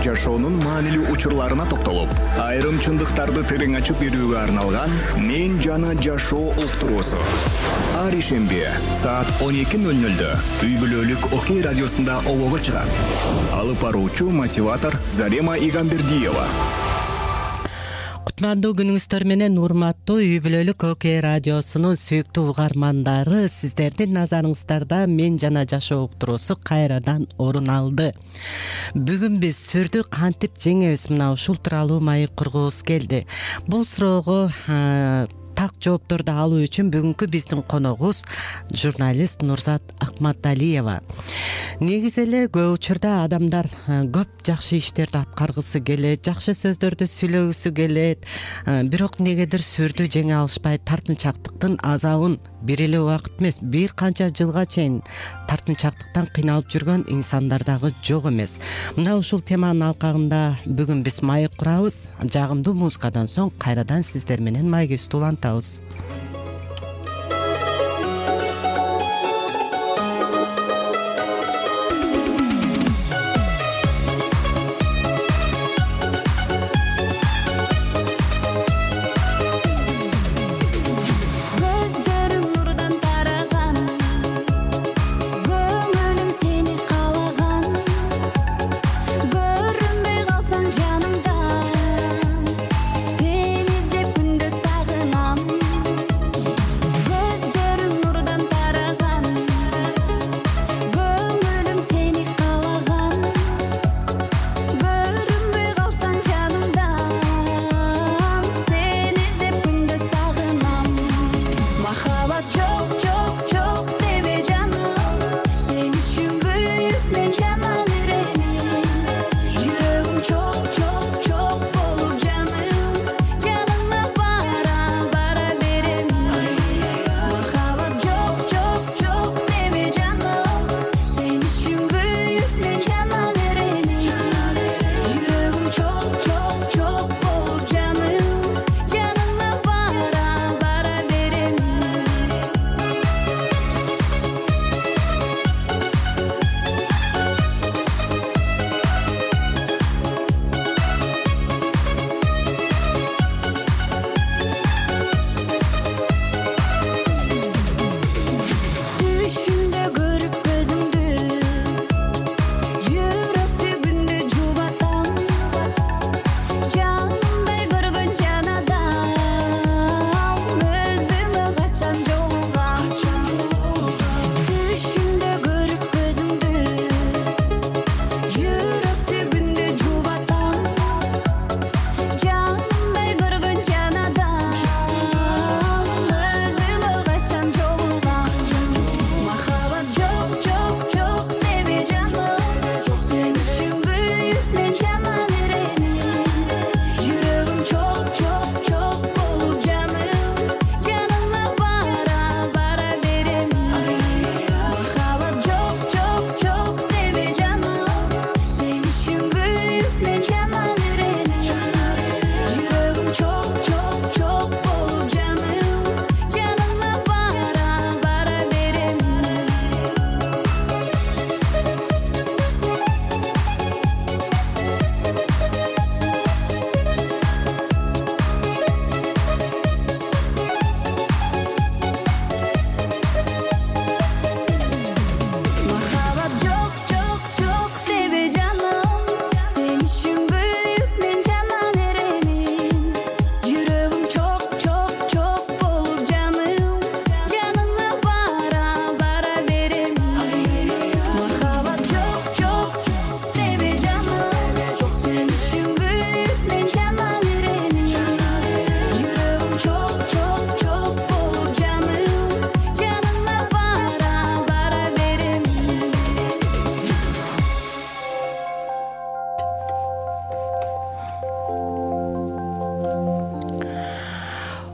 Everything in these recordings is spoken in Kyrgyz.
жашоонун маанилүү учурларына токтолуп, айрым чындыктарды терең ачып берүүгө арналган «Мен жана жашоо» уктуруусу. Ар ишемби саат 12:00 үй бүлөлүк Окей радиосунда олого чыгат. Алып баруучу мотиватор Зарема Игамбердиева. Кутмандуу күнүңүздөр менен урматтуу үй бүлөлүк Окей радиосунун сүйүктүү угармандары, сиздердин назарыңыздарда «Мен жана жашоо» уктуруусу кайрадан орун алды. Бүгүн биз сүрдү кантип жеңебиз, мына ушул тууралуу маек кургубуз келди. Бул суроого так жоопторду алуу үчүн бүгүнкү биздин коногубуз журналист Нурзат Акматалиева. Негизи эле көп учурда адамдар көп жакшы иштерди аткаргысы келет, жакшы сөздөрдү сүйлөгүсү келет, бирок негедир сүрдү жеңе алышпай тартынчактыктын азабын бир эле убакыт эмес, бир канча жылга чейин тартынчактыктан кыйналып жүргөн инсандар дагы жок эмес. Мына ушул теманын алкагында бүгүн биз маек курабыз. Жагымдуу музыкадан соң кайрадан сиздер менен маегибизди улантабыз. Сен издеп күндө сагынам.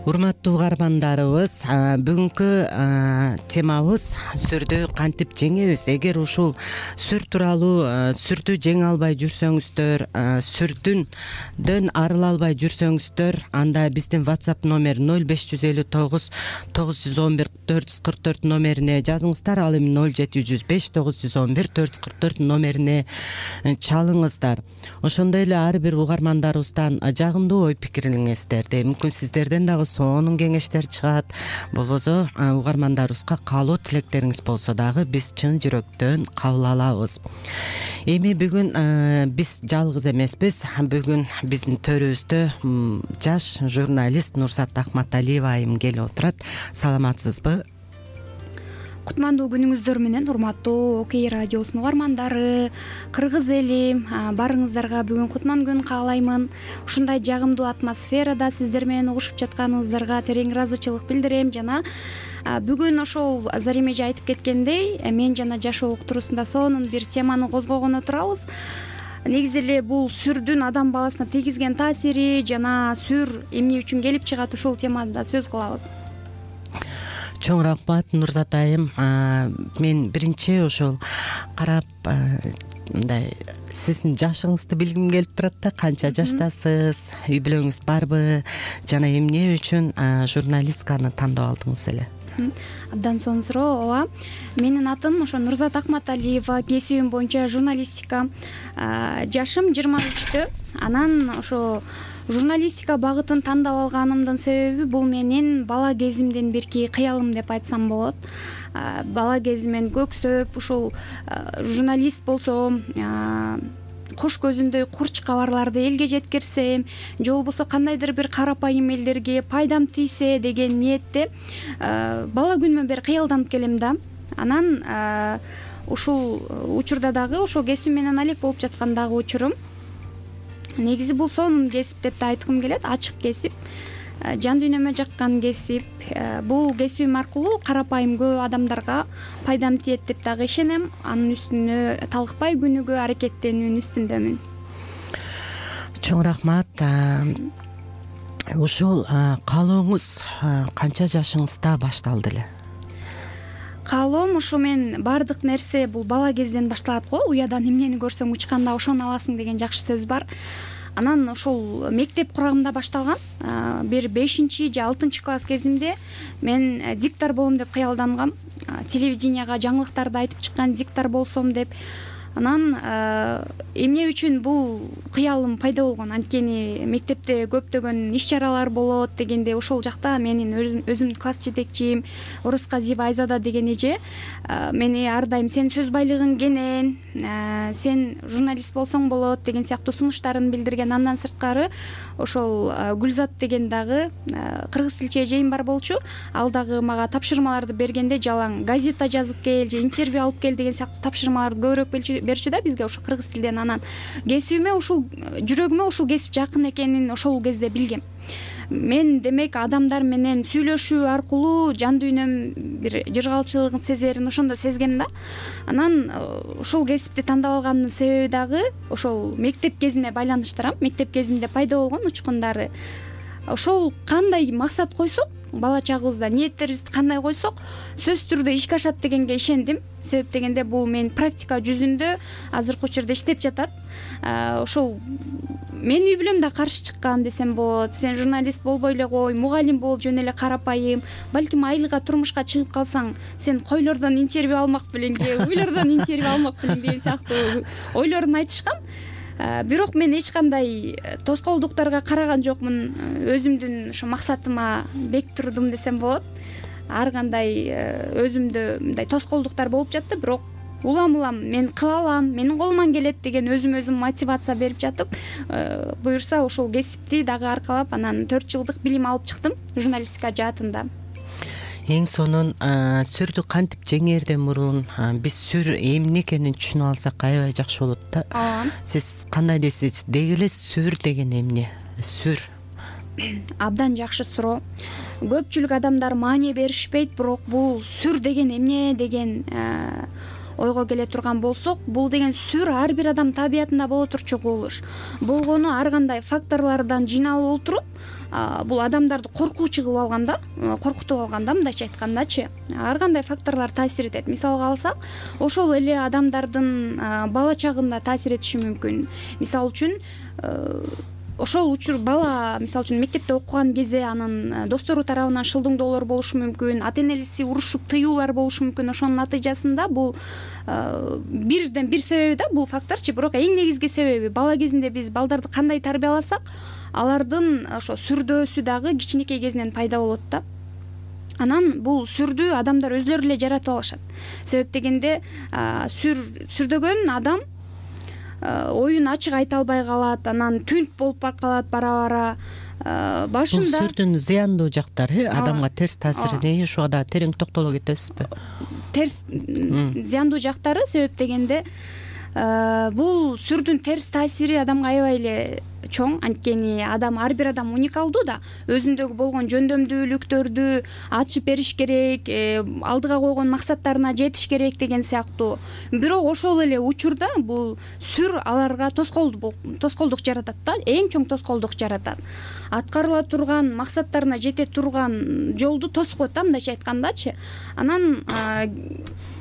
Урматтуу угармандарыбыз, бүгүнкү темабыз сүрдү кантип жеңебиз. Эгер ушул сүр тууралуу сүрдү жеңе албай жүрсөңүздөр, сүрдүндөн арыла албай жүрсөңүздөр, анда биздин WhatsApp номер 0559 911 444 номерине жазыңыздар. Ал эми 0705 911 444 номерине чалыңыздар. Ошондой эле ар бир угармандарыбыздан жагымдуу ой пикириңиздерди, мүмкүн сиздерден дагы сонун кеңештер чыгат, болбосо угармандарыбызга каалоо тилектериңиз болсо дагы биз чын жүрөктөн кабыл алабыз. Эми бүгүн биз жалгыз эмеспиз. Бүгүн биздин төрүбүздө жаш журналист Нурзат Акматалиева айым келип отурат. Саламатсызбы? Кутмандуу күнүңүздөр менен урматтуу Окей радиосунун угармандары, кыргыз эли, баарыңыздарга бүгүн кутман күн каалаймын. Ушундай жагымдуу атмосферада сиздер менен угушуп жатканыбыздарга терең ыраазычылык билдирем. Жана бүгүн ошол Зарим эже айтып кеткендей, мен жана жашоо уктуруусунда сонун бир теманы козгогон отурабыз. Негизи эле бул сүрдүн адам баласына тийгизген таасири жана сүр эмне үчүн келип чыгат, ушул темада сөз кылабыз. Чоң рахмат Нурзат айым. Мен биринчи ошол карап мындай сиздин жашыңызды билгим келип турат да. Канча жаштасыз, үй бүлөңүз барбы, жана эмне үчүн журналистканы тандап алдыңыз эле? Абдан сонун суроо. Ооба, менин атым ошо Нурзат Акматалиева, кесибим боюнча журналистика. Жашым 23-тө. Анан ошо журналистика багытын тандап алганымдын себеби бул менин бала кезимден берки кыялым деп айтсам болот. Бала кезимен көксөп ушул журналист болсом, кош көзүндөй курч кабарларды элге жеткирсем, же болбосо кандайдыр бир карапайым элдерге пайдам тийсе деген ниетте бала күнүмөн бери кыялданып келем да. Анан ушул учурда дагы ошол кесип менен алек болуп жаткан дагы учурум. Негизи бул сонун кесип деп да айткым келет, ачык кесип, жан дүйнөмө жаккан кесип. Бул кесибим аркылуу карапайым көп адамдарга пайдам тиет деп дагы ишенем. Анын үстүнө талыкпай күнүгө аракеттенүүнүн үстүндөмүн. Чоң рахмат. Ушул каалооңуз канча жашыңызда башталды эле? Каалоом ушу мен баардык нерсе бул бала кезден башталат го. Уядан эмнени көрсөң учканда ошону аласың деген жакшы сөз бар. Анан ошол мектеп курагымда башталган. Бир 5-же 6-чы класс кезимде мен диктор болом деп кыялдангам. Телевиденияга жаңылыктарды айтып чыккан диктор болсом деп. Анан эмне үчүн бул кыялым пайда болгон? Анткени мектепте көптөгөн иш-чаралар болот дегенде ошол жакта менин өзүмдүн класс жетекчим Орусказиева Айзада деген эже мени ар дайым сен сөз байлыгың кенен, сен журналист болсоң болот деген сыяктуу сунуштарын билдирген. Андан сырткары ошол Гүлзат деген дагы кыргыз тилчи эжейим бар болчу. Ал дагы мага тапшырмаларды бергенде жалаң газета жазып кел же интервью алып кел деген сыяктуу тапшырмаларды көбүрөөк берчү да бизге ошо кыргыз тилден. Анан кесибиме ушул жүрөгүмө ушул кесип жакын экенин ошол кезде билгем. Мен демек адамдар менен сүйлөшүү аркылуу жан дүйнөм бир жыргалчылыгын сезерин ошондо сезгем да. Анан ушул кесипти тандап алгандын себеби дагы ошол мектеп кезиме байланыштырам. Мектеп кезимде пайда болгон учкундары. Ошол кандай максат койсок, бала чагыбызда ниеттерибизди кандай койсок, сөзсүз түрдө ишке ашат дегенге ишендим. Себеп дегенде бул мен практика жүзүндө азыркы учурда иштеп жатат. Ошол менин үй бүлөм да каршы чыккан десем болот. Сен журналист болбой эле кой, мугалим болуп жөн эле карапайым. Балким айылга турмушка чыгып калсаң, сен койлордон интервью алмак белең же уйлордон интервью алмак белең деген сыяктуу ойлорун айтышкан. Бирок мен эч кандай тоскоолдуктарга караган жокмун. Өзүмдүн ошо максатыма бек турдум десем болот. Ар кандай өзүмдө мындай тоскоолдуктар болуп жатты, бирок улам мен кыла алам, менин колуман келет деген өзүм мотивация берип жатып, буюрса ошол кесипти дагы аркалап анан 4 жылдык билим алып чыктым журналистика жаатында. Эң сонун сүрдү кантип жеңээрден мурун биз сүр эмне экенин түшүнүп алсак аябай жакшы болот да. Сиз кандай дейсиз? Деги эле сүр деген эмне? Сүр Абдан жакшы суроо. Көпчүлүк адамдар маани беришпейт, бирок бул сүр деген эмне деген ойго келе турган болсок, бул деген сүр ар бир адам табиятында боло турчу кубулуш. Болгону ар кандай факторлордон жыйналып отуруп, бул адамдарды коркуучу кылып алганда, коркутуп алганда, мындайча айткандачы, ар кандай факторлор таасир этет. Мисалга алсак, ошол эле адамдардын бала чагында таасир этиши мүмкүн. Мисалы үчүн, ошол учур бала мисалы үчүн мектепте окуган кезде анын достору тарабынан шылдыңдоолор болушу мүмкүн, ата энеси урушуп тыюулар болушу мүмкүн. Ошонун натыйжасында бул бирден бир себеби да бул факторчу, бирок эң негизги себеби бала кезинде биз балдарды кандай тарбияласак, алардын ошо сүрдөөсү дагы кичинекей кезинен пайда болот да. Анан бул сүрдү адамдар өзлөрү эле жаратып алышат. Себеп дегенде сүрдөгөн адам оюн ачык айта албай калат, анан түнт болуп калат бара-бара. Башында бул сүрдүн зыяндуу жактары, адамга терс таасири ушуга да терең токтоло кетесизби? Терс зыяндуу жактары себеп дегенде бул сүрдүн терс таасири адамга аябай эле чоң. Анткени ар бир адам уникалдуу да, өзүндөгү болгон жөндөмдүүлүктөрдү ачып бериш керек, алдыга койгон максаттарына жетиш керек деген сыяктуу. Бирок ошол эле учурда бул сүр аларга тоскоолдук жаратат да, эң чоң тоскоолдук жаратат. Аткарыла турган максаттарына жете турган жолду тосуп коет да, мындайча айткандачы. Анан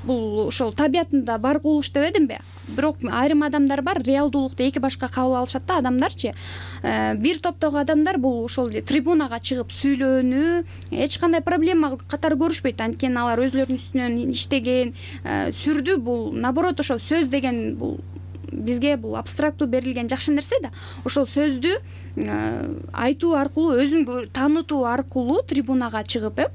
бул ошол табиятында бар кубулуш дебедимби? Бирок айрым адамдар бар, реалдуулукту эки башка кабыл алышат да адамдарчы. Бир топтогу адамдар бул ошол трибунага чыгып сүйлөөнү эч кандай проблема катары көрүшпөйт. Анткени алар өзлөрүнүн үстүнөн иштеген. Сүрдү бул наоборот, ошол сөз деген бул бизге бул абстрактуу берилген жакшы нерсе да. Ошол сөздү айтуу аркылуу, өзүн таанытуу аркылуу трибунага чыгып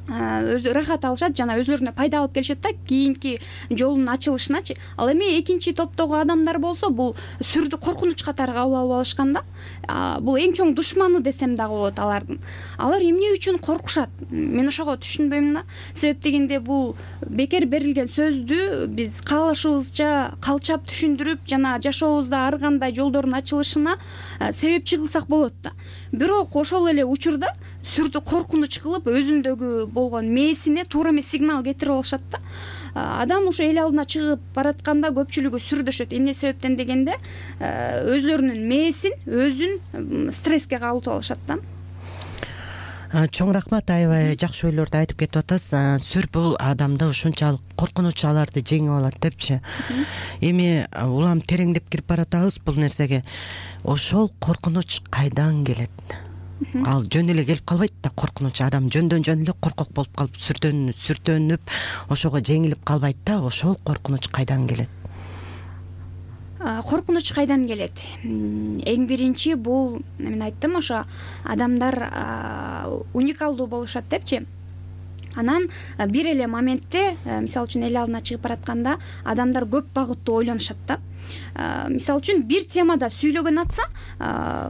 өзү рахат алышат жана өзлөрүнө пайда алып келишет да кийинки жолунун ачылышыначы. Ал эми экинчи топтогу адамдар болсо бул сүрдү коркунуч катары кабыл алып алышкан да. Бул эң чоң душманы десем дагы болот алардын. Алар эмне үчүн коркушат? Мен ошого түшүнбөйм да. Себеп дегенде бул бекер берилген сөздү биз каалашыбызча калчап түшүндүрүп жана жашообузда ар кандай жолдордун ачылышына себепчи кылсак болот да. Бирок ошол эле учурда сүрдү коркунуч кылып өзүндөгү болгон мээсине туура эмес сигнал кетирип алышат да. Адам ошо эл алдына чыгып баратканда көпчүлүгү сүрдөшөт. Эмне себептен дегенде өзлөрүнүн мээсин, өзүн стресске кабылтып алышат да. Чоң рахмат, аябай жакшы ойлорду айтып кетип атасыз. Сүр бул адамды ушунчалык коркунуч аларды жеңип алат депчи. Эми улам тереңдеп кирип баратабыз бул нерсеге. Ошол коркунуч кайдан келет? Ал жөн эле келип калбайт да, коркунуч. Адам жөндөн жөн эле коркок болуп калып сүртөнүп ошого жеңилип калбайт да. Ошол коркунуч кайдан келет? Коркунуч кайдан келет? Эң биринчи бул мен айттым, ошо адамдар уникалдуу болушат депчи. Анан бир эле моментте, мисалы үчүн эл алдына чыгып баратканда адамдар көп багыттуу ойлонушат да. Мисалы үчүн бир темада сүйлөгөн атса,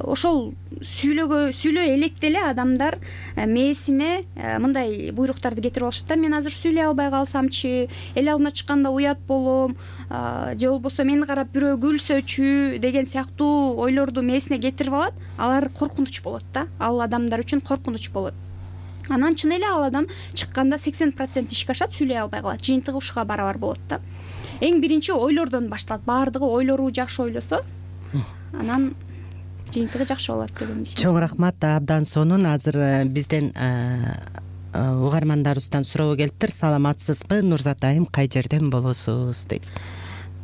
ошол сүйлөй электе эле адамдар мээсине мындай буйруктарды кетирип алышат да. Мен азыр сүйлөй албай калсамчы, эл алдына чыкканда уят болом, же болбосо мени карап бирөө күлсөчү деген сыяктуу ойлорду мээсине кетирип алат. Алар коркунуч болот да. Ал адамдар үчүн коркунуч болот. Анан чын эле ал адам чыкканда 80% ишке ашат, сүйлөй албай калат. Жыйынтыгы ушуга барабар болот да. Эң биринчи ойлордон башталат. Баардыгы ойлору жакшы ойлосо, анан жыйынтыгы жакшы болот деген ишенем. Чоң рахмат. Абдан сонун. Азыр бизден угармандарыбыздан суроо келиптир. Саламатсызбы, Нурзат айым, кай жерден болосуз дейт.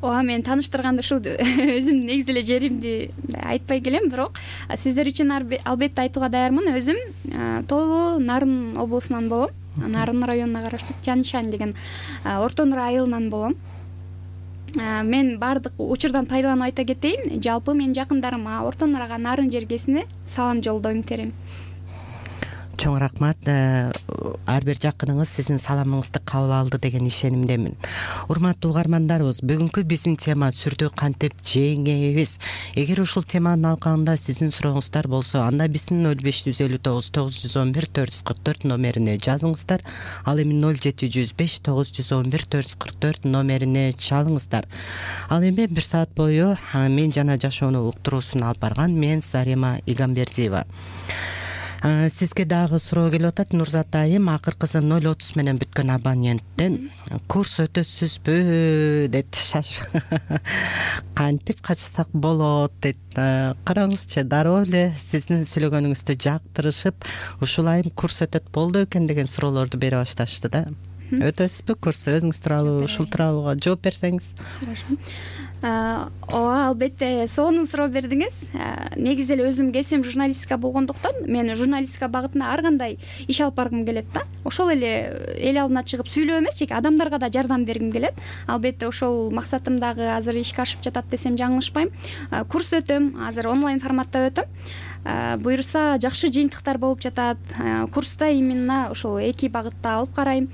Мен тааныштырганда ушул өзүмдүн негизи эле жеримди айтпай келем, бирок сиздер үчүн албетте айтууга даярмын. Өзүм Тоолу Нарын облусунан болом. Нарын районуна караштуу Тяньшань деген Орто Нура айылынан болом. Мен баардык учурдан пайдаланып айта кетейин. Жалпы менин жакындарыма, Орто Нурага, Нарын жергесине салам жолдойм терим. Чоң рахмат. Ар бир жакыныңыз сиздин саламыңызды кабыл алды деген ишенимдемин. Урматтуу угармандарыбыз, бүгүнкү биздин тема сүрдү кантип жеңебиз. Эгер ушул теманын алкагында сиздин сурооңуздар болсо, анда биздин 0559 911 444 номерине жазыңыздар. Ал эми 0705 911 444 номерине чалыңыздар. Ал эми 1 саат бою мен жана жашоону уктуруусун алып барган мен Зарема Игамбердиева. Сизге дагы суроо келип атат. Нурзат айым, акыркысы 0.30 менен бүткөн абоненттен курс өтөсүзбү дейт. Кантип качсак болот дейт. Караңызчы, дароо эле сиздин сүйлөгөнүңүздү жактырышып, ушул айым курс өтөт болду экен деген суроолорду бере башташты да. Өтөсүзбү курс? Өзүңүз тууралуу, ушул тууралуу жооп берсеңиз. Ооба, албетте сонун суроо бердиңиз. Негизи эле өзүм кесибим журналистика болгондуктан мен журналистика багытында ар кандай иш алып баргым келет да. Ошол эле эл алдына чыгып сүйлөө эмес, жеке адамдарга да жардам бергим келет. Албетте ошол максатым дагы азыр ишке ашып жатат десем жаңылышпайм. Курс өтөм, азыр онлайн форматта өтөм. Буюрса жакшы жыйынтыктар болуп жатат. Курста именно ошол эки багытта алып карайм.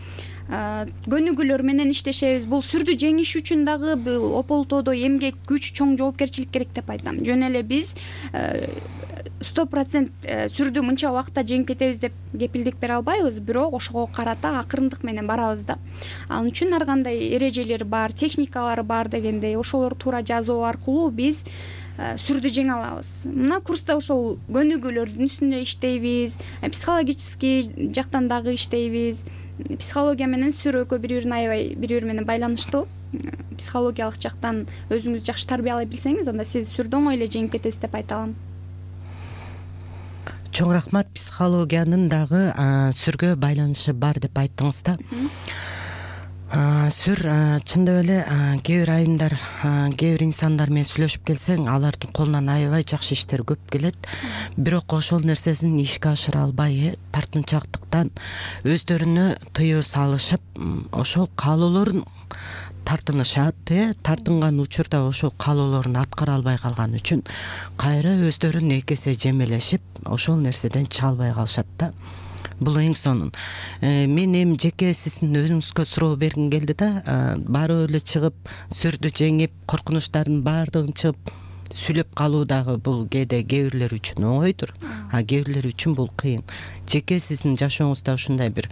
Көнүгүүлөр менен иштешебиз. Бул сүрдү жеңиш үчүн дагы бул ополтоодо эмгек, күч, чоң жоопкерчилик керек деп айтам. Жөн эле биз 100% сүрдү мынча убакытта жеңип кетебиз деп кепилдик бере албайбыз, бирок ошого карата акырындык менен барабыз да. Ал үчүн ар кандай эрежелер бар, техникалары бар дегендей, ошолорду туура жазуу аркылуу биз сүрдү жеңе алабыз. Мына курста ошол көнүгүүлөрдүн үстүндө иштейбиз, психологический жактан дагы иштейбиз. Психология менен сүр экөө бири-бири менен байланыштуу. Психологиялык жактан өзүңүз жакшы тарбиялай билсеңиз, анда сиз сүрдү оңой эле жеңип кетесиз деп айта алам. Чоң рахмат. Психологиянын дагы сүргө байланышы бар деп айттыңыз да. Сүр чындап эле кээ бир айымдар, кээ бир инсандар менен сүйлөшүп келсең, алардын колунан аябай жакшы иштер көп келет. Бирок ошол нерсесин ишке ашыра албай, тартынчаактыктан өздөрүнө тыюу салышып, ошол каалоолорун тартынышат, тартынган учурда ошол каалоолорун аткара албай калган үчүн кайра өздөрүн эки эсе жемелешип, ошол нерседен чыга албай калышат да. Бул эң сонун. Мен эми жеке сиздин өзүңүзгө суроо бергим келди да. Барып эле чыгып, сүрдү жеңип, коркунучтардын баардыгын чыгып сүйлөп калуу дагы бул кээ бирлер үчүн оңойдур, кээ бирлер үчүн бул кыйын. Жеке сиздин жашооңузда ушундай бир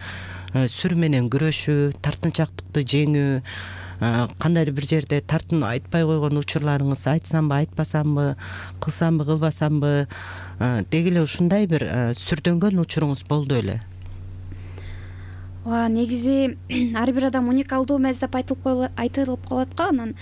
сүр менен күрөшүү, тартынчаактыкты жеңүү, кандайдыр бир жерде тартынып айтпай койгон учурларыңыз, айтсамбы, айтпасамбы, кылсамбы, кылбасамбы, деги эле ушундай бир сүрдөнгөн учуруңуз болду эле? Негизи ар бир адам уникалдуу эмес деп айтылып калат го. Анан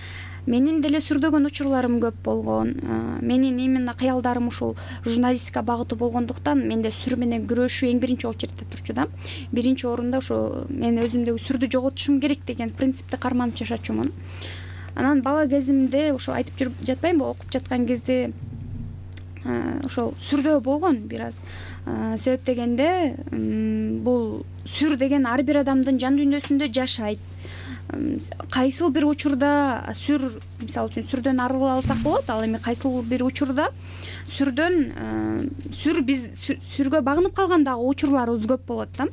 менин деле сүрдөгөн учурларым көп болгон. Менин именно кыялдарым ушул журналистика багыты болгондуктан менде сүр менен күрөшүү эң биринчи очередте турчу да. Биринчи орунда ошо мен өзүмдөгү сүрдү жоготушум керек деген принципти карманып жашачумун. Анан бала кезимде ошо айтып жүрүп жатпаймынбы, окуп жаткан кезде ошол сүрдөө болгон бир аз. Себеп дегенде бул сүр деген ар бир адамдын жан дүйнөсүндө жашайт. Кайсыл бир учурда сүр, мисалы үчүн сүрдөн арыла алсак болот, ал эми кайсыл бир учурда сүргө багынып калган дагы учурларыбыз көп болот да.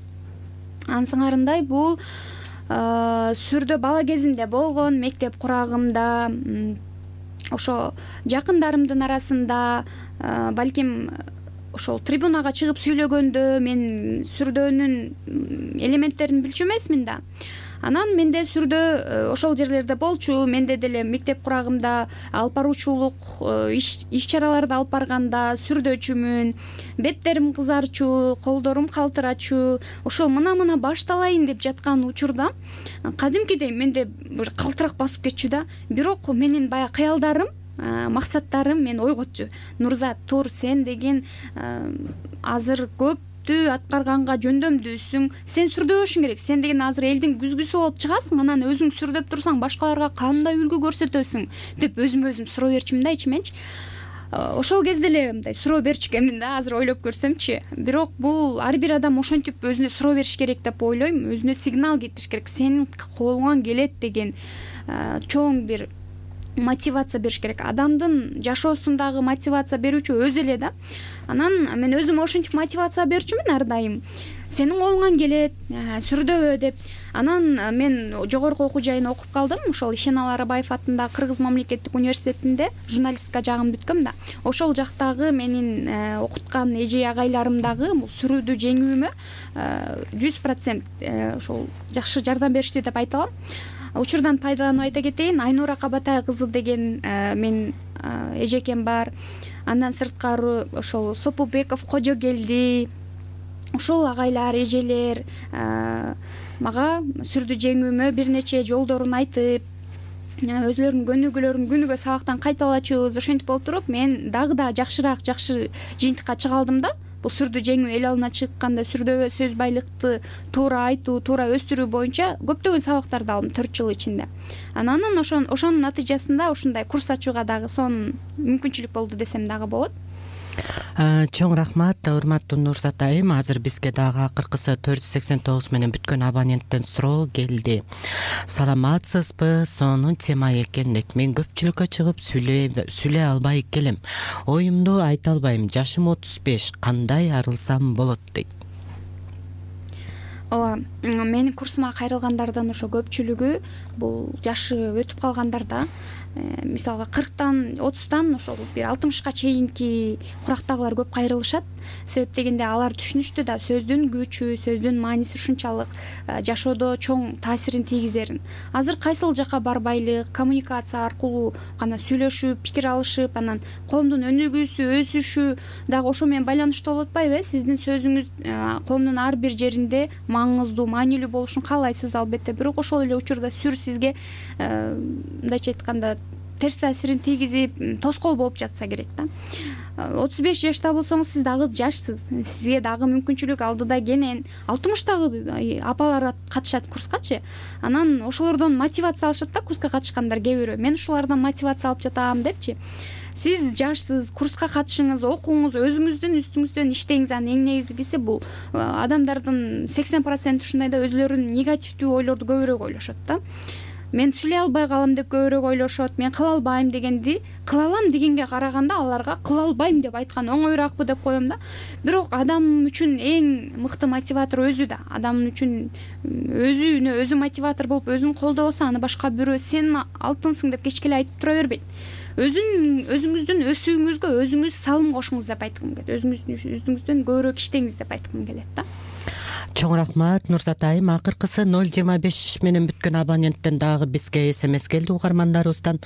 Анын сыңарындай бул сүрдө бала кезимде болгон, мектеп курагымда, ошо жакындарымдын арасында, балким ошол трибунага чыгып сүйлөгөндө мен сүрдөөнүн элементтерин билчү эмесмин да. Анан менде сүрдө ошол жерлерде болчу. Менде деле мектеп курагымда алып баруучулук иш чараларды алып барганда сүрдөөчүмүн. Беттерим кызарчу, колдорум калтырачу. Ошол мына башталайын деп жаткан учурда кадимкидей менде бир калтырак басып кетчү да. Бирок менин баягы кыялдарым, максаттарым мени ойготчу. Нурзат, тур, сен деген азыр көп аткарганга жөндөмдүүсүң, сен сүрдөбөшүң керек, сен деген азыр элдин күзгүсү болуп чыгасың, анан өзүң сүрдөп турсаң башкаларга кандай үлгү көрсөтөсүң деп өзүм суроо берчүмүн да ичименчи. Ошол кезде эле мындай суроо берчү экенмин да, азыр ойлоп көрсөмчү. Бирок бул ар бир адам ошентип өзүнө суроо бериш керек деп ойлойм, өзүнө сигнал кетириш керек, сенин колуңан келет деген чоң бир мотивация бериш керек. Адамдын жашоосундагы мотивация берүүчү өзү эле да. Анан мен өзүмө ошентип мотивация берчүмүн ар дайым. Сенин колуңан келет, сүрдөбө деп. Анан мен жогорку окуу жайын окуп калдым. Ошол Ишенал Арабаев атындагы Кыргыз мамлекеттик университетинде журналистика жагын бүткөм да. Ошол жактагы менин окуткан эже агайларым дагы бул сүрүүдү жеңүүмө 100% ошол жакшы жардам беришти деп айта алам. Учурдан пайдаланып айта кетейин, Айнура Кабатай кызы деген мен эжекем бар. Андан сырткары ошол Сопубеков Кожогелди, ушул агайлар, эжелер мага сүрдү жеңүүмө бир нече жолдорун айтып, өзүлөрүнүн көнүгүүлөрүн күнүгө сабактан кайталачубуз. Ошентип болуп туруп мен дагы да жакшы жыйынтыкка чыга алдым да. Бул сүрдү жеңүү, эл алдына чыкканда сүрдө сөз байлыкты туура айтуу, туура өстүрүү боюнча көптөгөн сабактарды алдым 4 жыл ичинде. Анан ошонун натыйжасында ушундай курс ачууга дагы сонун мүмкүнчүлүк болду десем дагы болот. Чоң рахмат, урматтуу Нурзат айым. Азыр бизге дагы акыркысы 489 менен бүткөн абоненттен суроо келди. Саламатсызбы? Сонун тема экен дейт. Мен көпчүлүккө чыгып сүйлөй албай келем. Оюмду айта албайм. Жашым 35. Кандай арылсам болот дейт. Ооба, менин курсума кайрылгандардын ошо көпчүлүгү бул жашы өтүп калгандар да. Мисалга 40тан 30тан ошол бир 60ка чейинки курактагылар көп кайрылышат. Себеп дегенде алар түшүнүштү да сөздүн күчү, сөздүн мааниси ушунчалык жашоодо чоң таасирин тийгизерин. Азыр кайсыл жакка барбайлык, коммуникация аркылуу гана сүйлөшүп, пикир алышып, анан коомдун өнүгүүсү, өсүшү дагы ошо менен байланыштуу болуп атпайбы? Сиздин сөзүңүз коомдун ар бир жеринде маңыздуу, маанилүү болушун каалайсыз албетте. Бирок ошол эле учурда сүр сизге мындайча айтканда терс таасирин тийгизип, тоскоол болуп жатса керек да. 35 жашта болсоңуз сиз дагы жашсыз. Сизге дагы мүмкүнчүлүк алдыда кенен. 60тагы апалар катышат курскачы. Анан ошолордон мотивация алышат да, курска катышкандар кээ бирөө. Мен ушулардан мотивация алып жатам депчи. Сиз жашсыз, курска катышыңыз, окуңуз, өзүңүздүн үстүңүздөн иштеңиз. Анын эң негизгиси бул адамдардын 80% ушундай да өзүлөрүнүн негативдүү ойлорду көбүрөөк ойлошот да. Мен сүйлөй албай калам деп көбүрөөк ойлошот. Мен кыла албайм дегенди кыла алам дегенге караганда аларга кыла албайм деп айткан оңоюраакпы деп коем да. Бирок адам үчүн эң мыкты мотиватор өзү да. Адам үчүн өзүнө өзү мотиватор болуп, өзүн колдобосо, аны башка бирөө сен алтынсың деп кечке эле айтып тура бербейт. Өзүңүздүн өсүүңүзгө өзүңүз салым кошуңуз деп айткым келет. Өзүңүздүн көбүрөөк иштеңиз деп айткым келет да. Чоң рахмат, Нурзат айым. Акыркысы 025 менен бүткөн абоненттен дагы бизге СМС келди угармандарыбыздан.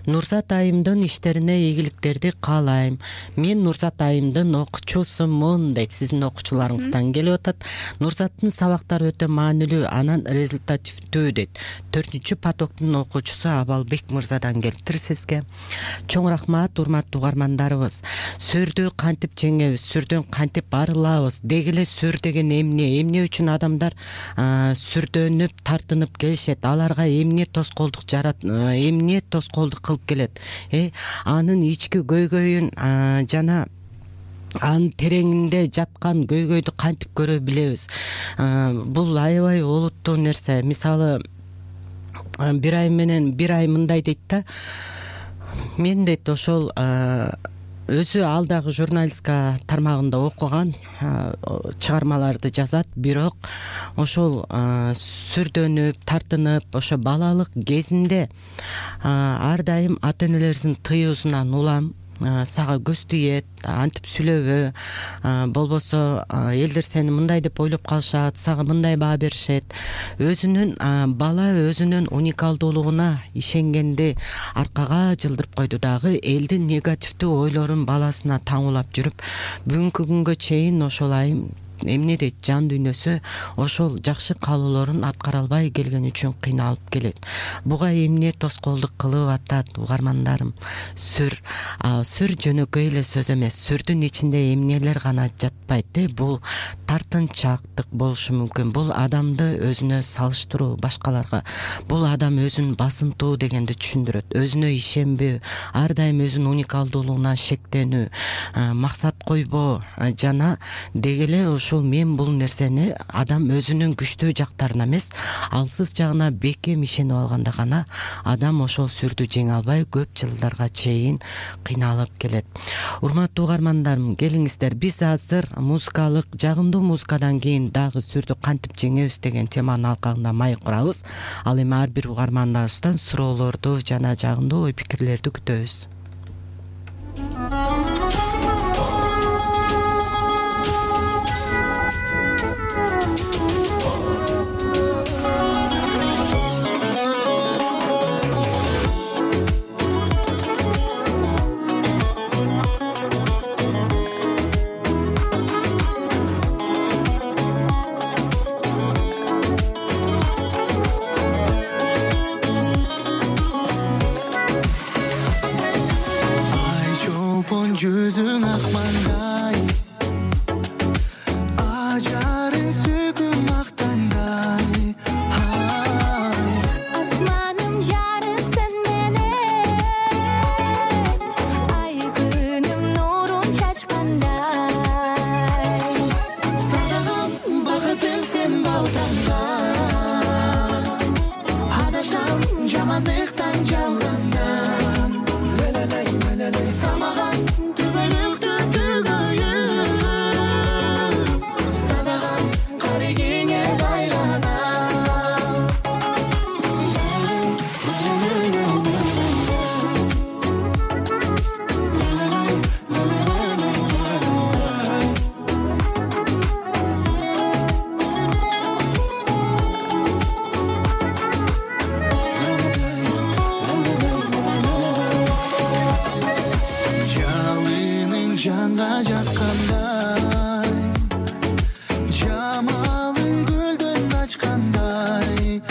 Нурзат айымдын иштерине ийгиликтерди каалайм. Мен Нурзат айымдын окуучусумун дейт. Сиздин окуучуларыңыздан келип атат. Нурзаттын сабактары өтө маанилүү, анан результативдүү дейт. 4-чү потоктун окуучусу Абалбек мырзадан келиптир сизге. Чоң рахмат, урматтуу угармандарыбыз. Сүрдү кантип жеңебиз, сүрдөн кантип арылабыз? Дегеле сүр деген эмне үчүн адамдар сүрдөнүп, тартынып келишет? Аларга эмне тоскоолдук эмне тоскоолдук кылып келет? Анын ички көйгөйүн жана анын тереңинде жаткан көйгөйдү кантип көрө билебиз? Бул аябай олуттуу нерсе. Мисалы, бир ай мындай дейт да. Мен дейт ошол өзү ал дагы журналистика тармагында окуган, чыгармаларды жазат, бирок ошол сүрдөнүп, тартынып, ошо балалык кезинде ар дайым ата энелерибиздин тыюусунан улам, сага көз тиет, антип сүйлөбө, болбосо элдер сени мындай деп ойлоп калышат, сага мындай баа беришет. Бала өзүнүн уникалдуулугуна ишенгенди аркага жылдырып койду дагы, элдин негативдүү ойлорун баласына таңуулап жүрүп, бүгүнкү күнгө чейин ошол айым эмне дейт, жан дүйнөсү ошол жакшы каалоолорун аткара албай келген үчүн кыйналып келет. Буга эмне тоскоолдук кылып атат угармандарым? Сүр жөнөкөй эле сөз эмес. Сүрдүн ичинде эмнелер гана жатпайт. Бул тартынчаактык болушу мүмкүн. Бул адамды өзүнө салыштыруу башкаларга. Бул адам өзүн басынтуу дегенди түшүндүрөт. Өзүнө ишенбөө, ар дайым өзүнүн уникалдуулугуна шектенүү, максат койбоо жана дегеле ушул мен бул нерсени адам өзүнүн күчтүү жактарына эмес, алсыз жагына бекем ишенип алганда гана адам ошол сүрдү жеңе албай көп жылдарга чейин кыйналып келет. Урматтуу угармандарым, келиңиздер, биз азыр музыкалык, жагымдуу музыкадан кийин дагы сүрдү кантип жеңебиз деген теманын алкагында маек курабыз. Ал эми ар бир угармандарыбыздан суроолорду жана жагымдуу ой пикирлерди күтөбүз. жапон жүзүң ак маңдай, ажарың сүйкүм ак таңдай. Асманым жарык сен менен, ай күнүм нурун чачкандай. Сагагам бакытың сен балтаңдай, адашам жамандыктан жалгандан. Самаган түбөлүктү түгөйүп, садаган карегиңе байланам. Жалының жанга жаккандай, жамалың гүлдөн ачкандай.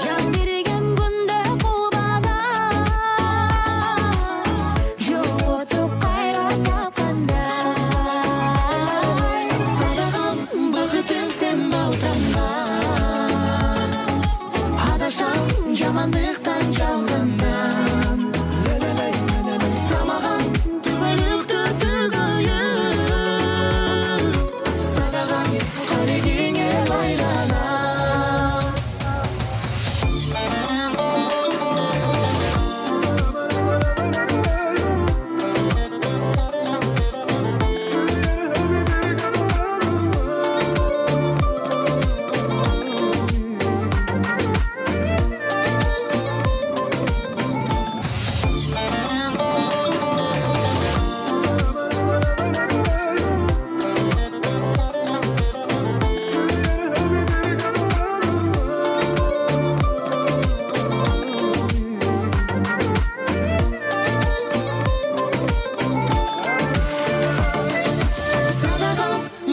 Жан берген күндө кулбада, жоготуп кайра тапкандай. Садагам бакытың сен балтаңдай, адашам жамандыктан жалгандан. Самаган түбөлүктү түгөйүп, садаган карегиңе байланам. Садагам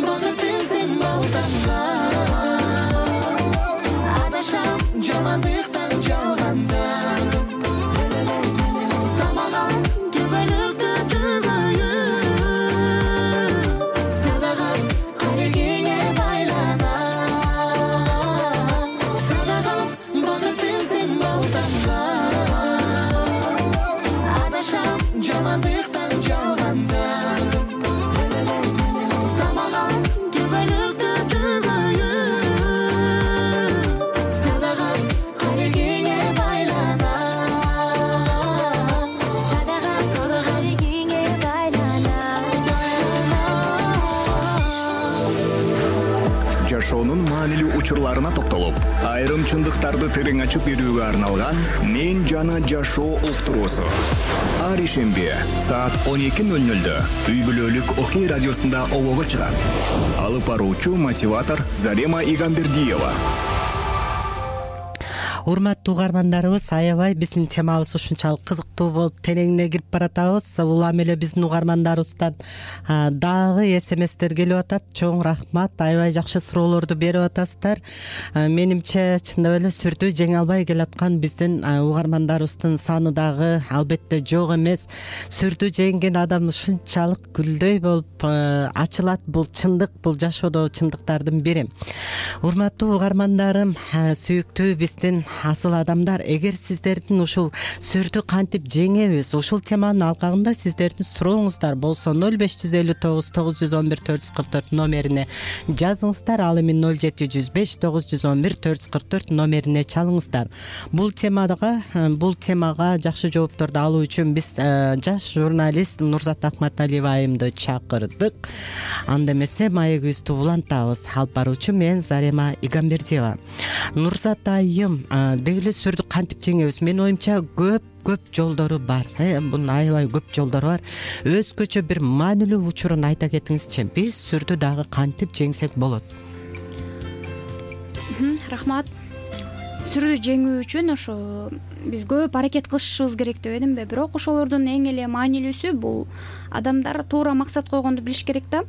бакытың сен балтаңдай, адашам жамандыктан жалгандан. Самаган түбөлүктү түгөйүп, садаган карегиңе байланам. Садагам бакытың сен балтаңдай, адашам жамандыктан жалгандан. Самаган түбөлүктү түгөйүп, садаган карегиңе байланам. Садаган карегиңе байланам. Жашоонун маанилүү учурларына токтолуп, айрым чындыктарды терең ачып берүүгө арналган «Мен жана жашоо» уктуруусу. Ар ишемби саат 12:00 үй бүлөлүк Окей радиосунда обого чыгат. Алып баруучу мотиватор Зарема Игамбердиева. Урматтуу угармандарыбыз, аябай биздин темабыз ушунчалык кызыктуу болуп тереңине кирип баратабыз. Улам эле биздин угармандарыбыздан дагы СМСтер келип атат. Чоң рахмат, аябай жакшы суроолорду берип атасыздар. Менимче чындап эле сүрдүү жеңе албай келаткан биздин угармандарыбыздын саны дагы албетте жок эмес. Сүрдүү жеңген адам ушунчалык гүлдөй болуп ачылат. Бул чындык, бул жашоодо чындыктардын бири. Урматтуу угармандарым, сүйүктүү биздин асыл адамдар, эгер сиздердин ушул сүрдү кантип жеңебиз, ушул теманын алкагында сиздердин сурооңуздар болсо 0559 911 444 номерине жазыңыздар. Ал эми 0705 911 444 номерине чалыңыздар. Бул темага жакшы жоопторду алуу үчүн биз жаш журналист Нурзат Акматалиева айымды чакырдык. Анда эмесе маегибизди улантабыз. Алып баруучу мен Зарема Игамбердиева. Нурзат айым, деги эле сүрдү кантип жеңебиз? Менин оюмча көп жолдору бар. Бунун аябай көп жолдору бар. Өзгөчө бир маанилүү учурун айта кетиңизчи. Биз сүрдү дагы кантип жеңсек болот? Рахмат. Сүрдү жеңүү үчүн ошо биз көп аракет кылышыбыз керек деп эдимби. Бирок ошолордун эң эле маанилүүсү бул адамдар туура максат койгонду билиш керек да.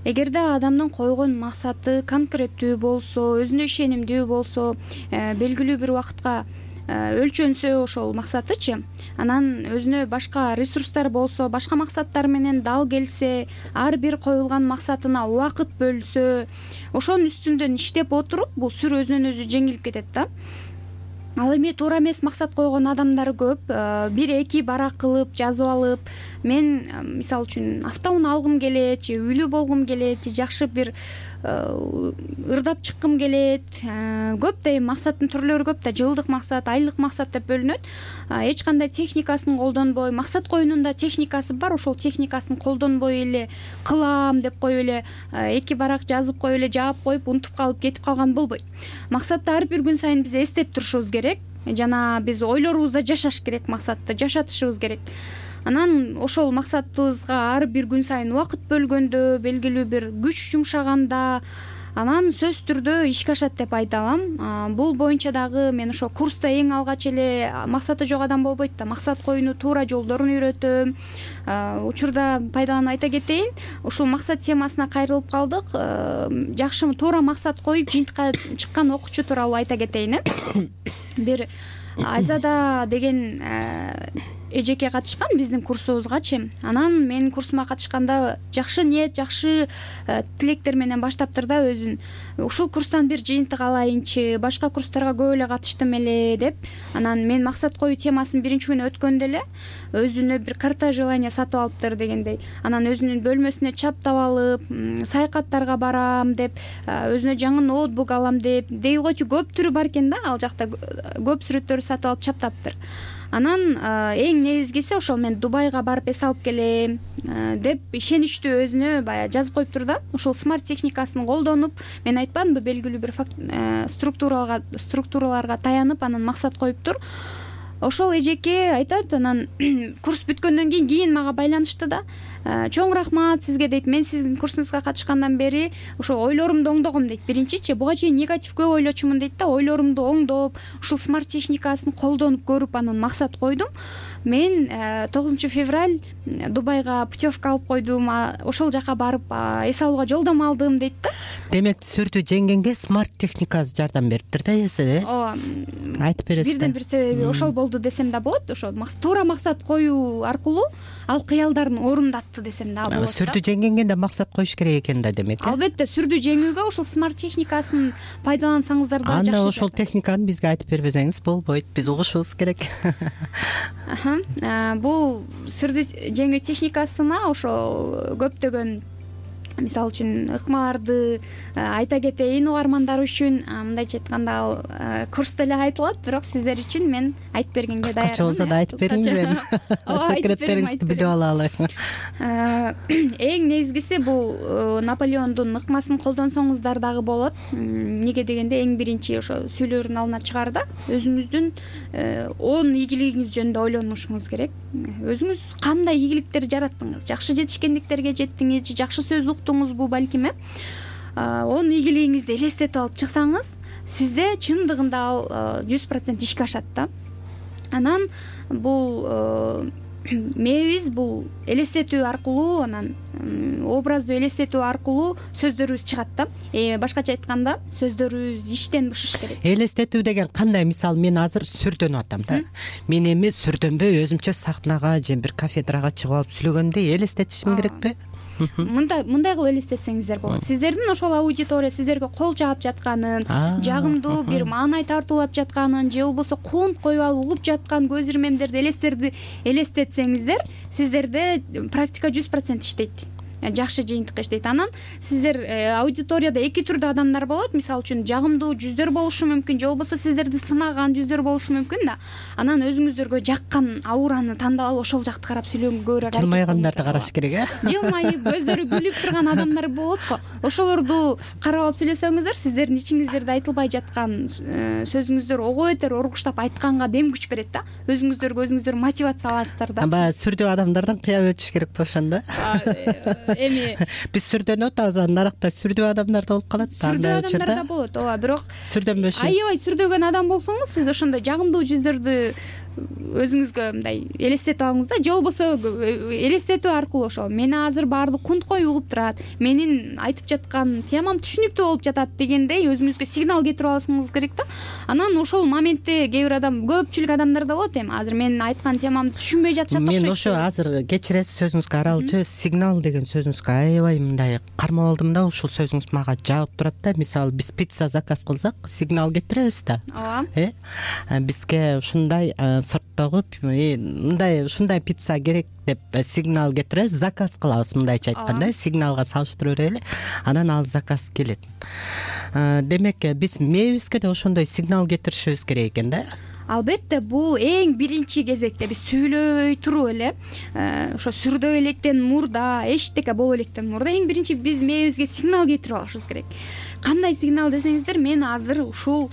Эгерде адамдын койгон максаты конкреттүү болсо, өзүнө ишенимдүү болсо, белгилүү бир убакытка өлчөнсө ошол максатычы, анан өзүнө башка ресурстар болсо, башка максаттар менен дал келсе, ар бир коюлган максатына убакыт бөлсө, ошонун үстүндөн иштеп отуруп бул сүр өзүнөн өзү жеңилип кетет да. Ал эми туура эмес максат койгон адамдар көп. 1-2 барак кылып жазып алып, мен мисалы үчүн автоунаа алгым келет, же үйлүү болгум келет, же жакшы бир ырдап чыккым келет. Көп да эми максаттын түрлөрү көп да, жылдык максат, айлык максат деп бөлүнөт. Эч кандай техникасын колдонбой, максат коюунун да техникасы бар, ошол техникасын колдонбой эле кылам деп коюп эле 2 барак жазып коюп эле жаап коюп унутуп калып кетип калган болбойт. Максатты ар бир күн сайын биз эстеп турушубуз керек. Жана биз ойлорубузда жашаш керек, максатты жашатышыбыз керек. Анан ошол максатыбызга ар бир күн сайын убакыт бөлгөндө, белгилүү бир күч жумшаганда, анан сөзсүз түрдө ишке ашат деп айта алам. Бул боюнча дагы мен ошо курста эң алгач эле максаты жок адам болбойт да, максат коюунун туура жолдорун үйрөтөм. Учурда пайдаланып айта кетейин, ушул максат темасына кайрылып калдык. Жакшы туура максат коюп жыйынтыкка чыккан окуучу тууралуу айта кетейин. Бир Айзада деген эжеке катышкан биздин курсубузгачы. Анан менин курсума катышканда жакшы ниет, жакшы тилектер менен баштаптыр да өзүн. Ушул курстан бир жыйынтык алайынчы, башка курстарга көп эле катыштым эле деп. Анан мен максат коюу темасын биринчи күнү өткөндө эле өзүнө бир карта желания сатып алыптыр дегендей. Анан өзүнүн бөлмөсүнө чаптап алып, саякаттарга барам деп, өзүнө жаңы ноутбук алам деп, деги койчу көп түрү бар экен да, ал жакта көп сүрөттөрү сатып алып чаптаптыр. Анан эң негизгиси ошол мен Дубайга барып эс алып келем деп ишеничтүү өзүнө баягы жазып коюптур да. Ошол смарт техникасын колдонуп, мен айтпадымбы, белгилүү бир структураларга таянып анан максат коюптур. Ошол эжеке айтат, анан курс бүткөндөн кийин мага байланышты да. Чоң рахмат сизге дейт. Мен сиздин курсуңузга катышкандан бери ошо ойлорумду оңдогом дейт. Биринчичи буга чейин негатив көп ойлочумун дейт да. Ойлорумду оңдоп, ушул смарт техникасын колдонуп көрүп анан максат койдум. Мен 9 февраль Дубайга путевка алып койдум. Ошол жака барып эс алууга жолдомо алдым дейт да. Демек сүрдү жеңгенге смарт техникасы жардам бериптир да эсе. Ооба. Айтып бересиз да. Бирден бир себеби ошол болду десем да болот. Ошол туура максат коюу аркылуу ал кыялдарын орундатты десем да болот. Сүрдү жеңгенге да максат коюш керек экен да демек. Албетте сүрдү жеңүүгө ошол смарт техникасын пайдалансаңыздар да жакшы. Анда ошол техниканы бизге айтып бербесеңиз болбойт. Биз угушубуз керек. Бул сүрдү жеңүү техникасына ошо көптөгөн, мисалы үчүн, ыкмаларды айта кетейин угармандар үчүн. Мындайча айтканда курста эле айтылат, бирок сиздер үчүн мен айтып бергенге даярмын. Кыскача болсо да айтып бериңиз. Секреттериңизди билип алалы. Эң негизгиси бул Наполеондун ыкмасын колдонсоңуздар дагы болот. Неге дегенде эң биринчи ошо сүйлөрүн алдына чыгаарда өзүңүздүн 10 ийгилигиңиз жөнүндө ойлонушуңуз керек. Өзүңүз кандай ийгиликтер жараттыңыз? Жакшы жетишкендиктерге жеттиңиз же жакшы сөз уктуңузбу балким? 10 ийгилигиңизди элестетип алып чыксаңыз, сизде чындыгында ал 100% ишке ашат да. Анан бул мээбиз бул элестетүү аркылуу, анан образдуу элестетүү аркылуу сөздөрүбүз чыгат да. Башкача айтканда, сөздөрүбүз иштен бышыш керек. Элестетүү деген кандай? Мисалы, мен азыр сүрдөнүп атам да. Мен эми сүрдөнбөй өзүмчө сахнага же бир кафедрага чыгып алып сүйлөгөндө элестетишим керекпи? Мындай кылып элестетсеңиздер болот. Сиздердин ошол аудитория сиздерге кол жаап жатканын, жагымдуу бир маанай тартуулап жатканын, же болбосо куунт коюп алып угуп жаткан көз ирмемдерди, элестетсеңиздер, сиздерде практика 100% иштейт. Жакшы жыйынтыкка иштейт. Анан сиздер аудиторияда эки түрдүү адамдар болот. Мисалы үчүн жагымдуу жүздөр болушу мүмкүн, же болбосо сиздерди сынаган жүздөр болушу мүмкүн да. Анан өзүңүздөргө жаккан аураны тандап алып ошол жакты карап сүйлөнгөнгө жылмайгандарды караш керек, Жылмайып, көздөрү күлүп турган адамдар болот го. Ошолорду карап алып сүйлөсөңүздөр, сиздердин ичиңиздерде айтылбай жаткан сөзүңүздөр ого бетер оргуштап айтканга дем күч берет да. Өзүңүздөргө мотивация аласыздар да. Баягы сүрдүү адамдардан кыяп өтүш керек ошондо. Эми биз сүрдөнүп атабыз, наракта сүрдүү адамдар да болуп калат. Сүрдүү адамдар да болот, ооба, бирок сүрдөнбөшүбүз. аябай сүрдөгөн адам болсоңуз, сиз ошондой жагымдуу жүздөрдү өзүңүзгө мындай элестетип алыңыз да, же болбосо элестетүү аркылуу ошол мени азыр баардык кунткой угуп турат, менин айтып жаткан темам түшүнүктүү болуп жатат дегендей өзүңүзгө сигнал кетирип алышыңыз керек да. Анан ошол моментте кээ бир адам, көпчүлүк адамдарда болот, эми азыр менин айткан темамды түшүнбөй жатышат. Мен ошо азыр кечиресиз сөзүңүзгө аралчы, сигнал деген сөзүңүзгө аябай мындай кармап алдым да, ушул сөзүңүз мага жаап турат да. Мисалы биз пицца заказ кылсак сигнал кетиребиз да. Ооба. Бизге ушундай сорттогу мындай ушундай пицца керек деп сигнал кетиребиз, заказ кылабыз, мындайча айтканда сигналга салыштырып эле, анан ал заказ келет. Демек биз мээбизге да ошондой сигнал кетиришибиз керек экен да. Албетте, бул эң биринчи кезекте биз сүйлөй туруп эле, ошо сүрдөп электен мурда, эчтеке боло электен мурда эң биринчи биз мээбизге сигнал кетирип алышыбыз керек. Кандай сигнал десеңиздер, мен азыр ушул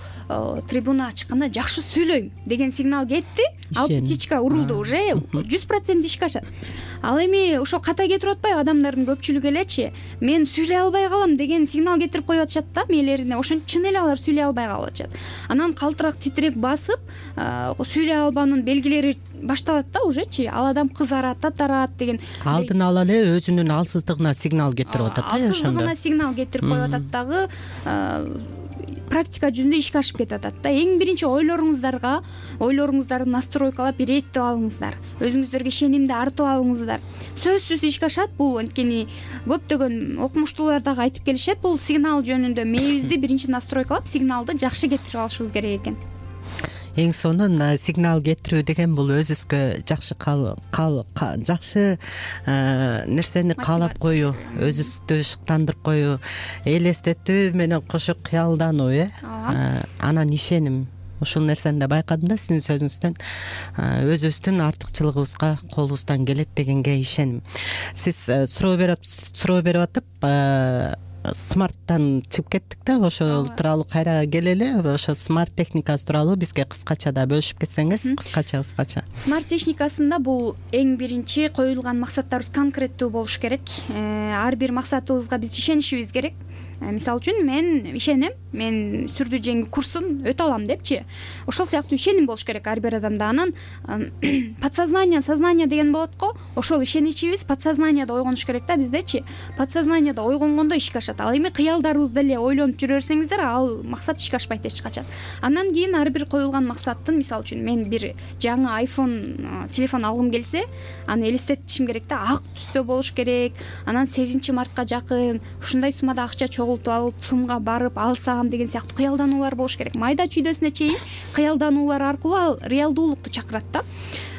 трибунага чыкканда жакшы сүйлөйм деген сигнал кетти, ал птичка урулду, уже 100% ишке ашат. Ал эми ошо ката кетирип атпайбы адамдардын көпчүлүгү элечи, мен сүйлөй албай калам деген сигнал кетирип коюп атышат да мээлерине. Ошон чын эле алар сүйлөй албай калып атышат. Анан калтырак, титирек басып, сүйлөй албаанын белгилери башталат да ужечи. Ал адам кызарат, татарат деген. Алдын ала эле өзүнүн алсыздыгына сигнал кетирип атат да, ошондо. Алсыздыгына сигнал кетирип коюп атат дагы, практика жүзүндө ишке ашып кетип атат да. Эң биринчи ойлоруңуздарды настройкалап иреттип алыңыздар. Өзүңүздөргө ишенимди артып алыңыздар. Сөзсүз ишке ашат бул, анткени көптөгөн окумуштуулар дагы айтып келишет, бул сигнал жөнүндө мээбизди биринчи настройкалап сигналды жакшы кетирип алышыбыз керек экен. Эң сонун сигнал кетирүү деген бул өзүбүзгө жакшы нерсени каалап коюу, өзүбүздү шыктандырып коюу, элестетүү менен кошо кыялдануу, анан ишеним. Ушул нерсени да байкадым да сиздин сөзүңүздөн, өзүбүздүн артыкчылыгыбызга колубуздан келет дегенге ишеним. Сиз суроо берип атып смарттан чыгып кеттик да, ошол тууралуу кайра келели. Ошо смарт техникасы тууралуу бизге кыскача да бөлүшүп кетсеңиз, кыскача. Смарт техникасында бул эң биринчи коюлган максаттарыбыз конкреттүү болуш керек. Ар бир максатыбызга биз ишенишибиз керек. Мисалы үчүн мен ишенем, мен сүрдүү жеңүү курсун өтө алам депчи. Ошол сыяктуу ишеним болуш керек ар бир адамда. Анан подсознание, сознание деген болот го. Ошол ишеничибиз подсознанияда ойгонуш керек да биздечи. Подсознанияда ойгонгондо ишке ашат. Ал эми кыялдарыбызды эле ойлонуп жүрө берсеңиздер, ал максат ишке ашпайт эч качан. Андан кийин ар бир коюлган максаттын, мисалы үчүн мен бир жаңы iPhone телефон алгым келсе, аны элестетишим керек да, ак түстө болуш керек. Анан 8-мартка жакын ушундай суммада акча алып сумга барып алсам деген сыяктуу кыялдануулар болуш керек. Майда чүйдөсүнө чейин кыялдануулар аркылуу ал реалдуулукту чакырат да.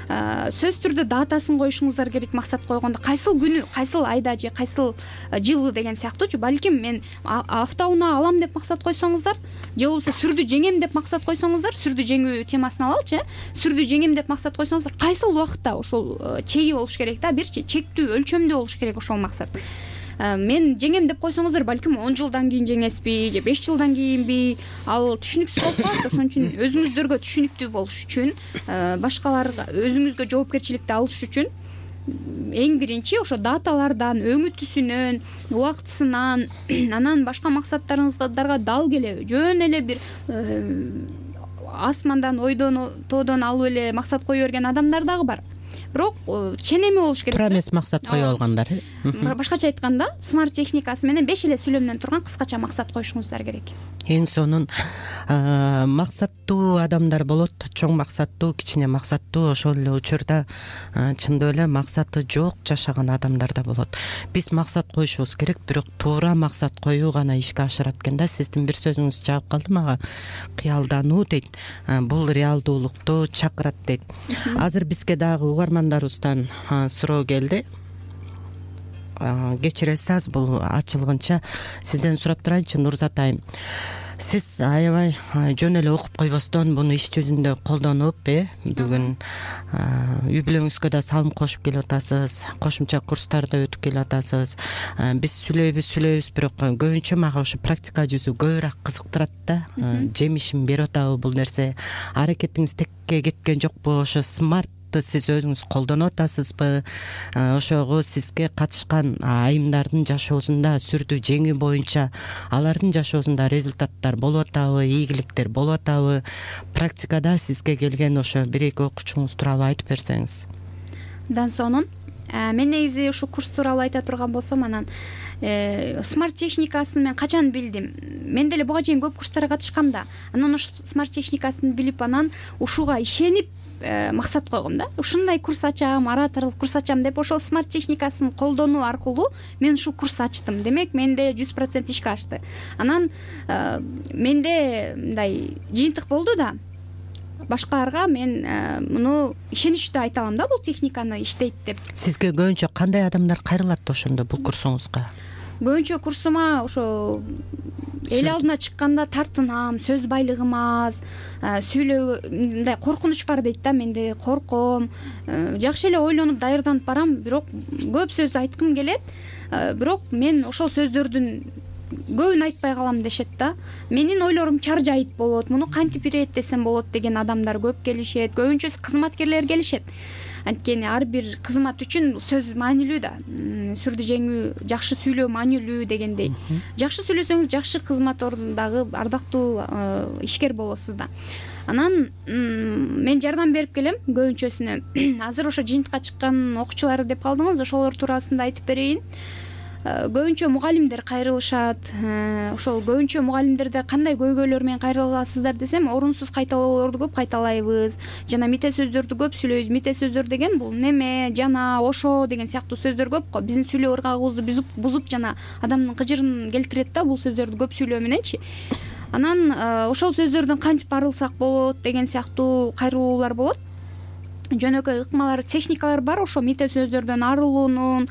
Сөзсүз түрдө датасын коюшуңуздар керек максат койгондо. Кайсыл күнү, кайсыл айда же кайсыл жылы деген сыяктуучу. Балким мен автоунаа алам деп максат койсоңуздар, же болбосо сүрдүү жеңем деп максат койсоңуздар, сүрдүү жеңүү темасын алалычы, сүрдүү жеңем деп максат койсоңуздар, кайсыл убакытта ошол чеги болуш керек да, бирчи чектүү, өлчөмдүү болуш керек ошол максат. Мен жеңем деп койсоңуздар, балким 10 жылдан кийин жеңесизби же 5 жылдан кийинби, ал түшүнүксүз болуп калат. Ошон үчүн өзүңүздөргө түшүнүктүү болуш үчүн, башкаларга өзүңүзгө жоопкерчиликти алыш үчүн эң биринчи ошо даталардан, өңүтүсүнөн, убактысынан, анан башка максаттарыңыздарга дал келе жөн эле бир асмандан, ойдон, тоодон алып эле максат кое берген адамдар дагы бар. Бирок ченеми болуш керек. Тура эмес максат кое алгандар. Башкача айтканда, смарт техникасы менен 5 эле сүйлөмдөн турган кыскача максат коюшуңуздар керек. Эң сонун максаттуу адамдар болот, чоң максаттуу, кичине максаттуу, ошол эле учурда чындап эле максаты жок жашаган адамдар да болот. Биз максат коюшубуз керек, бирок туура максат коюу гана ишке ашырат экен да. Сиздин бир сөзүңүз жаап калды мага, кыялдануу дейт. Бул реалдуулукту чакырат дейт. Азыр бизге дагы угармандарыбыздан суроо келди. Кечиресиз, аз бул ачылгынча сизден сурап турайынчы, Нурзат айым. Сиз аябай жөн эле окуп койбостон буну иш жүзүндө колдонуп, бүгүн үй бүлөңүзгө да салым кошуп келип атасыз, кошумча курстарды өтүп келип атасыз. Биз сүйлөйбүз, бирок көбүнчө мага ошо практика жүзү көбүрөөк кызыктырат да. Жемишин берип атабы бул нерсе? Аракетиңиз текке кеткен жокпу? Ошо смарт форматты сиз өзүңүз колдонуп атасызбы? Ошого сизге катышкан айымдардын жашоосунда сүрдүү жеңүү боюнча алардын жашоосунда результаттар болуп атабы, ийгиликтер болуп атабы? Практикада сизге келген ошо бир эки окуучуңуз тууралуу айтып берсеңиз. Дансонун мен негизи ушул курс тууралуу айта турган болсом, анан смарт техникасын мен качан билдим? Мен деле буга чейин көп курстарга катышкам да. Анан ушул смарт техникасын билип, анан ушуга ишенип максат койгом да. Ушундай курс ачам, ораторлук курс ачам деп, ошол смарт техникасын колдонуу аркылуу мен ушул курс ачтым. Демек, менде 100% ишке ашты. Анан менде мындай жыйынтык болду да. Башкаларга мен муну ишеничтүү айта алам да, бул техниканы иштейт деп. Сизге көбүнчө кандай адамдар кайрылат ошондо бул курсуңузга? Көбүнчө курсума ошо эл алдына чыкканда тартынам, сөз байлыгым аз, сүйлөө мындай коркунуч бар дейт да, менде корком. Жакшы эле ойлонуп даярданып барам, бирок көп сөз айткым келет, бирок мен ошол сөздөрдүн көбүн айтпай калам дешет да. Менин ойлорум чаржайыт болот, муну кантип иреттесем болот деген адамдар көп келишет. Көбүнчө кызматкерлер келишет. Анткени ар бир кызмат үчүн сөз маанилүү да. Сүрдүү жеңүү, жакшы сүйлөө маанилүү дегендей. Жакшы сүйлөсөңүз жакшы кызмат ордундагы ардактуу ишкер болосуз да. Анан мен жардам берип келем көбүнчөсүнө. Азыр ошо жыйынтыкка чыккан окуучулар деп калдыңыз, ошолор туурасында айтып берейин. Көбүнчө мугалимдер кайрылышат. Ошол көбүнчө мугалимдерде кандай көйгөйлөр менен кайрыласыздар десем, орунсуз кайталоолорду көп кайталайбыз. Жана мите сөздөрдү көп сүйлөйбүз. Мите сөздөр деген бул неме, жана, ошо деген сыяктуу сөздөр көп го. Биздин сүйлөө ыргагыбызды бузуп жана адамдын кыжырын келтирет да бул сөздөрдү көп сүйлөө мененчи. Анан ошол сөздөрдөн кантип арылсак болот деген сыяктуу кайрылуулар болот. Жөнөкөй ыкмалар, техникалар бар ошо мите сөздөрдөн арылуунун.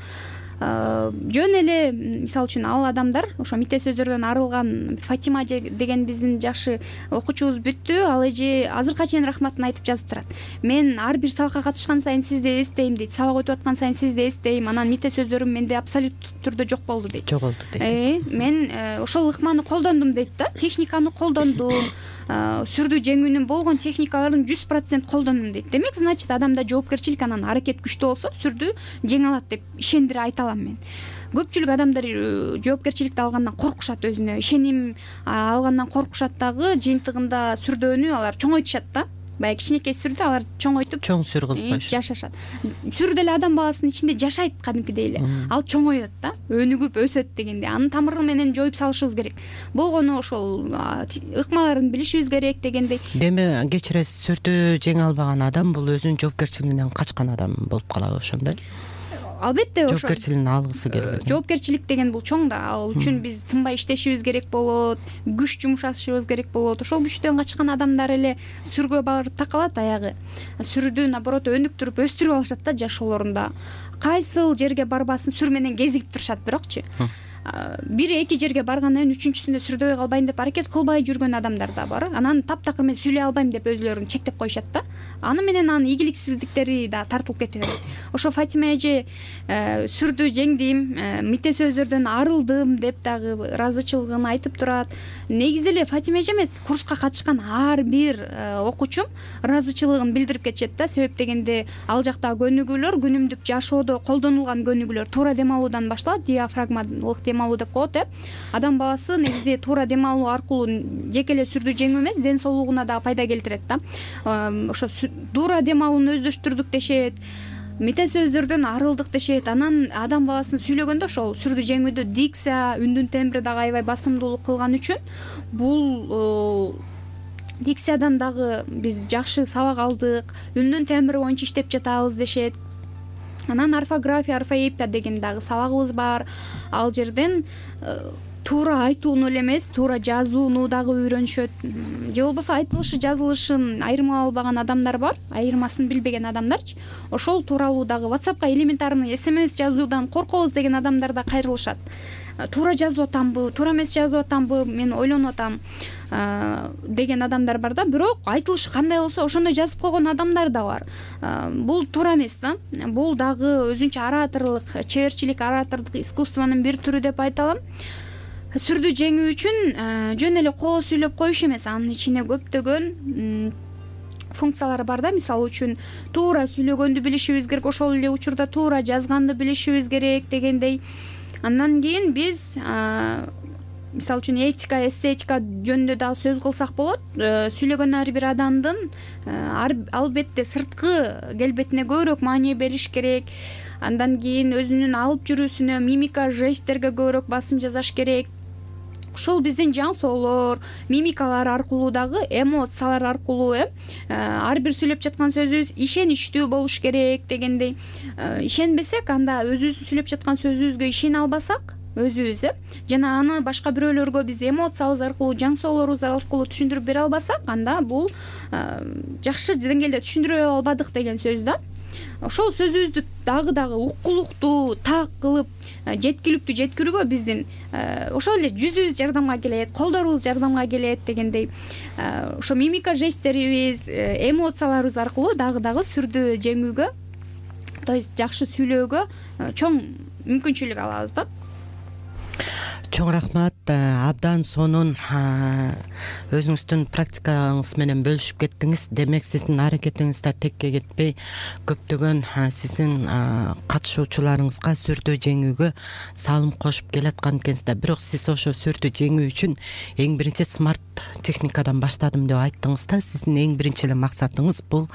Жөн эле мисалы үчүн ал адамдар ошо мите сөздөрдөн арылган Фатима деген биздин жакшы окуучубуз бүттү. Ал эже азыркыга чейин рахматын айтып жазып турат. Мен ар бир сабакка катышкан сайын сизди эстейм дейт. Сабак өтүп аткан сайын сизди эстейм. Анан мите сөздөрүм менде абсолюттуу түрдө жок болду дейт. Жоголду дейт. Мен ошол ыкманы колдондум дейт да. Техниканы колдондум. Сүрдүү жеңүүнүн болгон техникаларын 100% колдондум дейт. Демек, значит, адамда жоопкерчилик, анан аракет күчтүү болсо сүрдүү жеңе алат деп ишендире айта алам мен. Көпчүлүк адамдар жоопкерчиликти алгандан коркушат, өзүнө ишеним алгандан коркушат дагы, жыйынтыгында сүрдөөнү алар чоңойтушат да. Баягы кичинекей сүрдү алар чоңойтуп чоң сүр кылып коюшат. Жашашат. Сүр деле адам баласынын ичинде жашайт кадимкидей эле. Ал чоңойот да, өнүгүп өсөт дегенде. Анын тамыры менен жоюп салышыбыз керек. Болгону ошол ыкмаларын билишибиз керек дегендей. Деме, кечиресиз, сүрдүү жеңе албаган адам бул өзүнүн жоопкерчилигинен качкан адам болуп калабы ошондой? Албетте, ошо жоопкерчилигин алгысы келбеген. Жоопкерчилик деген бул чоң да. Ал үчүн биз тынбай иштешибиз керек болот, күч жумшашыбыз керек болот. Ошол күчтөн качкан адамдар эле сүргө барып такалат аягы. Сүрдүү наоборот өнүктүрүп, өстүрүп алышат да жашоолорунда. Кайсыл жерге барбасын сүр менен кезигип турушат, бирокчу. Бир эки жерге баргандан кийин үчүнчүсүндө сүрдөй калбайм деп аракет кылбай жүргөн адамдар да бар. Анан таптакыр мен сүйлөй албайм деп өзүлөрүн чектеп коюшат да. Аны менен анын ийгиликсиздиктери да тартылып кете берет. Ошо Фатима эже сүрдүү жеңдим, мите сөздөрдөн арылдым деп дагы ыраазычылыгын айтып турат. Негизи эле Фатима эже эмес, курска катышкан ар бир окуучум ыраазычылыгын билдирип кетишет да. Себеп дегенде ал жактагы көнүгүүлөр, күнүмдүк жашоодо колдонулган көнүгүүлөр туура дем алуудан башталат, диафрагмалык дем алуу деп коет. Адам баласы негизи туура дем алуу аркылуу жеке эле сүрдүү жеңүү эмес, ден соолугуна да пайда келтирет да. Ошо туура дем алууну өздөштүрдүк дешет, мите сөздөрдөн арылдык дешет. Анан адам баласын сүйлөгөндө ошол сүрдүү жеңүүдө дикция, үндүн тембри дагы аябай басымдуулук кылган үчүн бул дикциядан дагы биз жакшы сабак алдык, үндүн тембри боюнча иштеп жатабыз дешет. Анан орфография, орфоэпия деген дагы сабагыбыз бар. Ал жерден туура айтууну эле эмес, туура жазууну дагы үйрөнүшөт. Же болбосо айтылышы, жазылышын айырмалай албаган адамдар бар, айырмасын билбеген адамдарчы. Ошол тууралуу дагы WhatsAppка элементарный SMS жазуудан коркобуз деген адамдар да кайрылышат. Туура жазып атамбы, туура эмес жазып атамбы, мен ойлонуп атам деген адамдар бар да. Бирок айтылышы кандай болсо ошондой жазып койгон адамдар да бар. Бул туура эмес да. Бул дагы өзүнчө ораторлук, чеберчилик, оратордук искусствонун бир түрү деп айта алам. Сүрдүү жеңүү үчүн жөн эле коо сүйлөп коюш эмес, анын ичине көптөгөн функциялары бар да. Мисалы үчүн туура сүйлөгөндү билишибиз керек, ошол эле учурда туура жазганды билишибиз керек дегендей. Андан кийин биз мисалы үчүн этика, эстетика жөнүндө дагы сөз кылсак болот. Сүйлөгөн ар бир адамдын албетте сырткы келбетине көбүрөөк маани бериш керек. Андан кийин өзүнүн алып жүрүүсүнө, мимика, жесттерге көбүрөөк басым жасаш керек. Ушул биздин жан соолор, мимикалар аркылуу дагы, эмоциялар аркылуу ар бир сүйлөп жаткан сөзүбүз ишеничтүү болуш керек дегендей. Ишенбесек, анда өзүбүздүн сүйлөп жаткан сөзүбүзгө ишене албасак, өзүбүз жана аны башка бирөөлөргө биз эмоциябыз аркылуу, жан соолорубуз аркылуу түшүндүрүп бере албасак, анда бул жакшы деңгээлде түшүндүрө албадык деген сөз да. Ошол сөзүбүздү дагы уккулуктуу, так кылып жеткиликтүү жеткирүүгө биздин ошол эле жүзүбүз жардамга келет, колдорубуз жардамга келет дегендей. Ошо мимика, жесттерибиз, эмоцияларыбыз аркылуу дагы сүрдү жеңүүгө, то есть жакшы сүйлөөгө чоң мүмкүнчүлүк алабыз да. Чоң рахмат. Абдан сонун өзүңүздүн практикаңыз менен бөлүшүп кеттиңиз. Демек сиздин аракетиңиз да текке кетпей, көптөгөн сиздин катышуучуларыңызга сүрдүү жеңүүгө салым кошуп келаткан экенсиз. Бирок сиз ошо сүрдүү жеңүү үчүн эң биринчи смарт техникадан баштадым деп айттыңыз да. Сиздин эң биринчи эле максатыңыз бул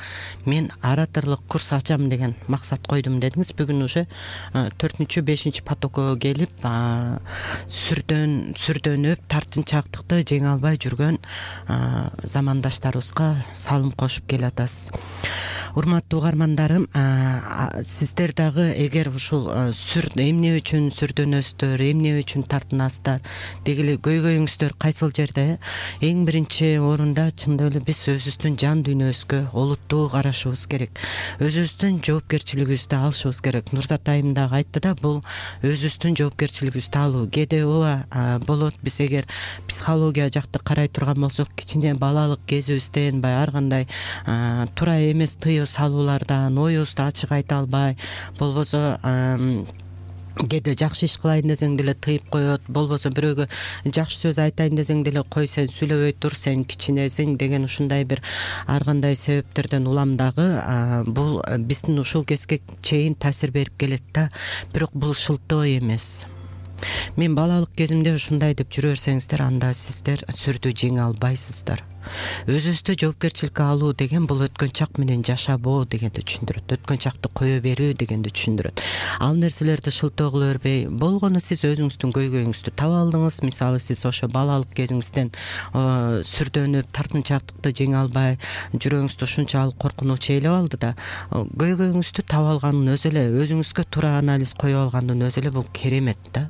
мен ораторлук курс ачам деген максат койдум дедиңиз. Бүгүн уже 4-5 потокко келип сүрдөнүп тартынчаактыкты жеңе албай жүргөн замандаштарыбызга салым кошуп келатасыз. Урматтуу угармандарым, сиздер дагы эгер ушул эмне үчүн сүрдөнөсүздөр, эмне үчүн тартынасыздар, дегиле көйгөйүңүздөр кайсыл жерде? Эң биринчи орунда чындап эле биз өзүбүздүн жан дүйнөбүзгө олуттуу карашыбыз керек. Өзүбүздүн жоопкерчилигибизди алышыбыз керек. Нурзат айым дагы айтты да, бул өзүбүздүн жоопкерчилигибизди алуу. Кээде ооба болот, биз эгер психология жакты карай турган болсок, кичине балалык кезибизден ар кандай туура эмес тыюу салуулардан оюбузду ачык айта албай, болбосо кээде жакшы иш кылайын десең деле тыйып коет, болбосо бирөөгө жакшы сөз айтайын десең деле кой сен сүйлөбөй тур, сен кичинесиң деген ушундай бир ар кандай себептерден улам дагы бул биздин ушул кезге чейин таасир берип келет да. Бирок бул шылтоо эмес. Мен балалык кезимде ушундай деп жүрө берсеңиздер, анда сиздер сүрдүү жеңе албайсыздар. Өзүбүздү жоопкерчиликке алуу деген бул өткөн чак менен жашабоо дегенди түшүндүрөт. Өткөн чакты кое берүү дегенди түшүндүрөт. Ал нерселерди шылтоо кыла бербей, болгону сиз өзүңүздүн көйгөйүңүздү таба алдыңыз. Мисалы сиз ошо балалык кезиңизден сүрдөнүп, тартынчаактыкты жеңе албай, жүрөгүңүздү ушунчалык коркунуч ээлеп алды да. Көйгөйүңүздү таба алгандын өзү эле, өзүңүзгө туура анализ кое алгандын өзү эле бул керемет да.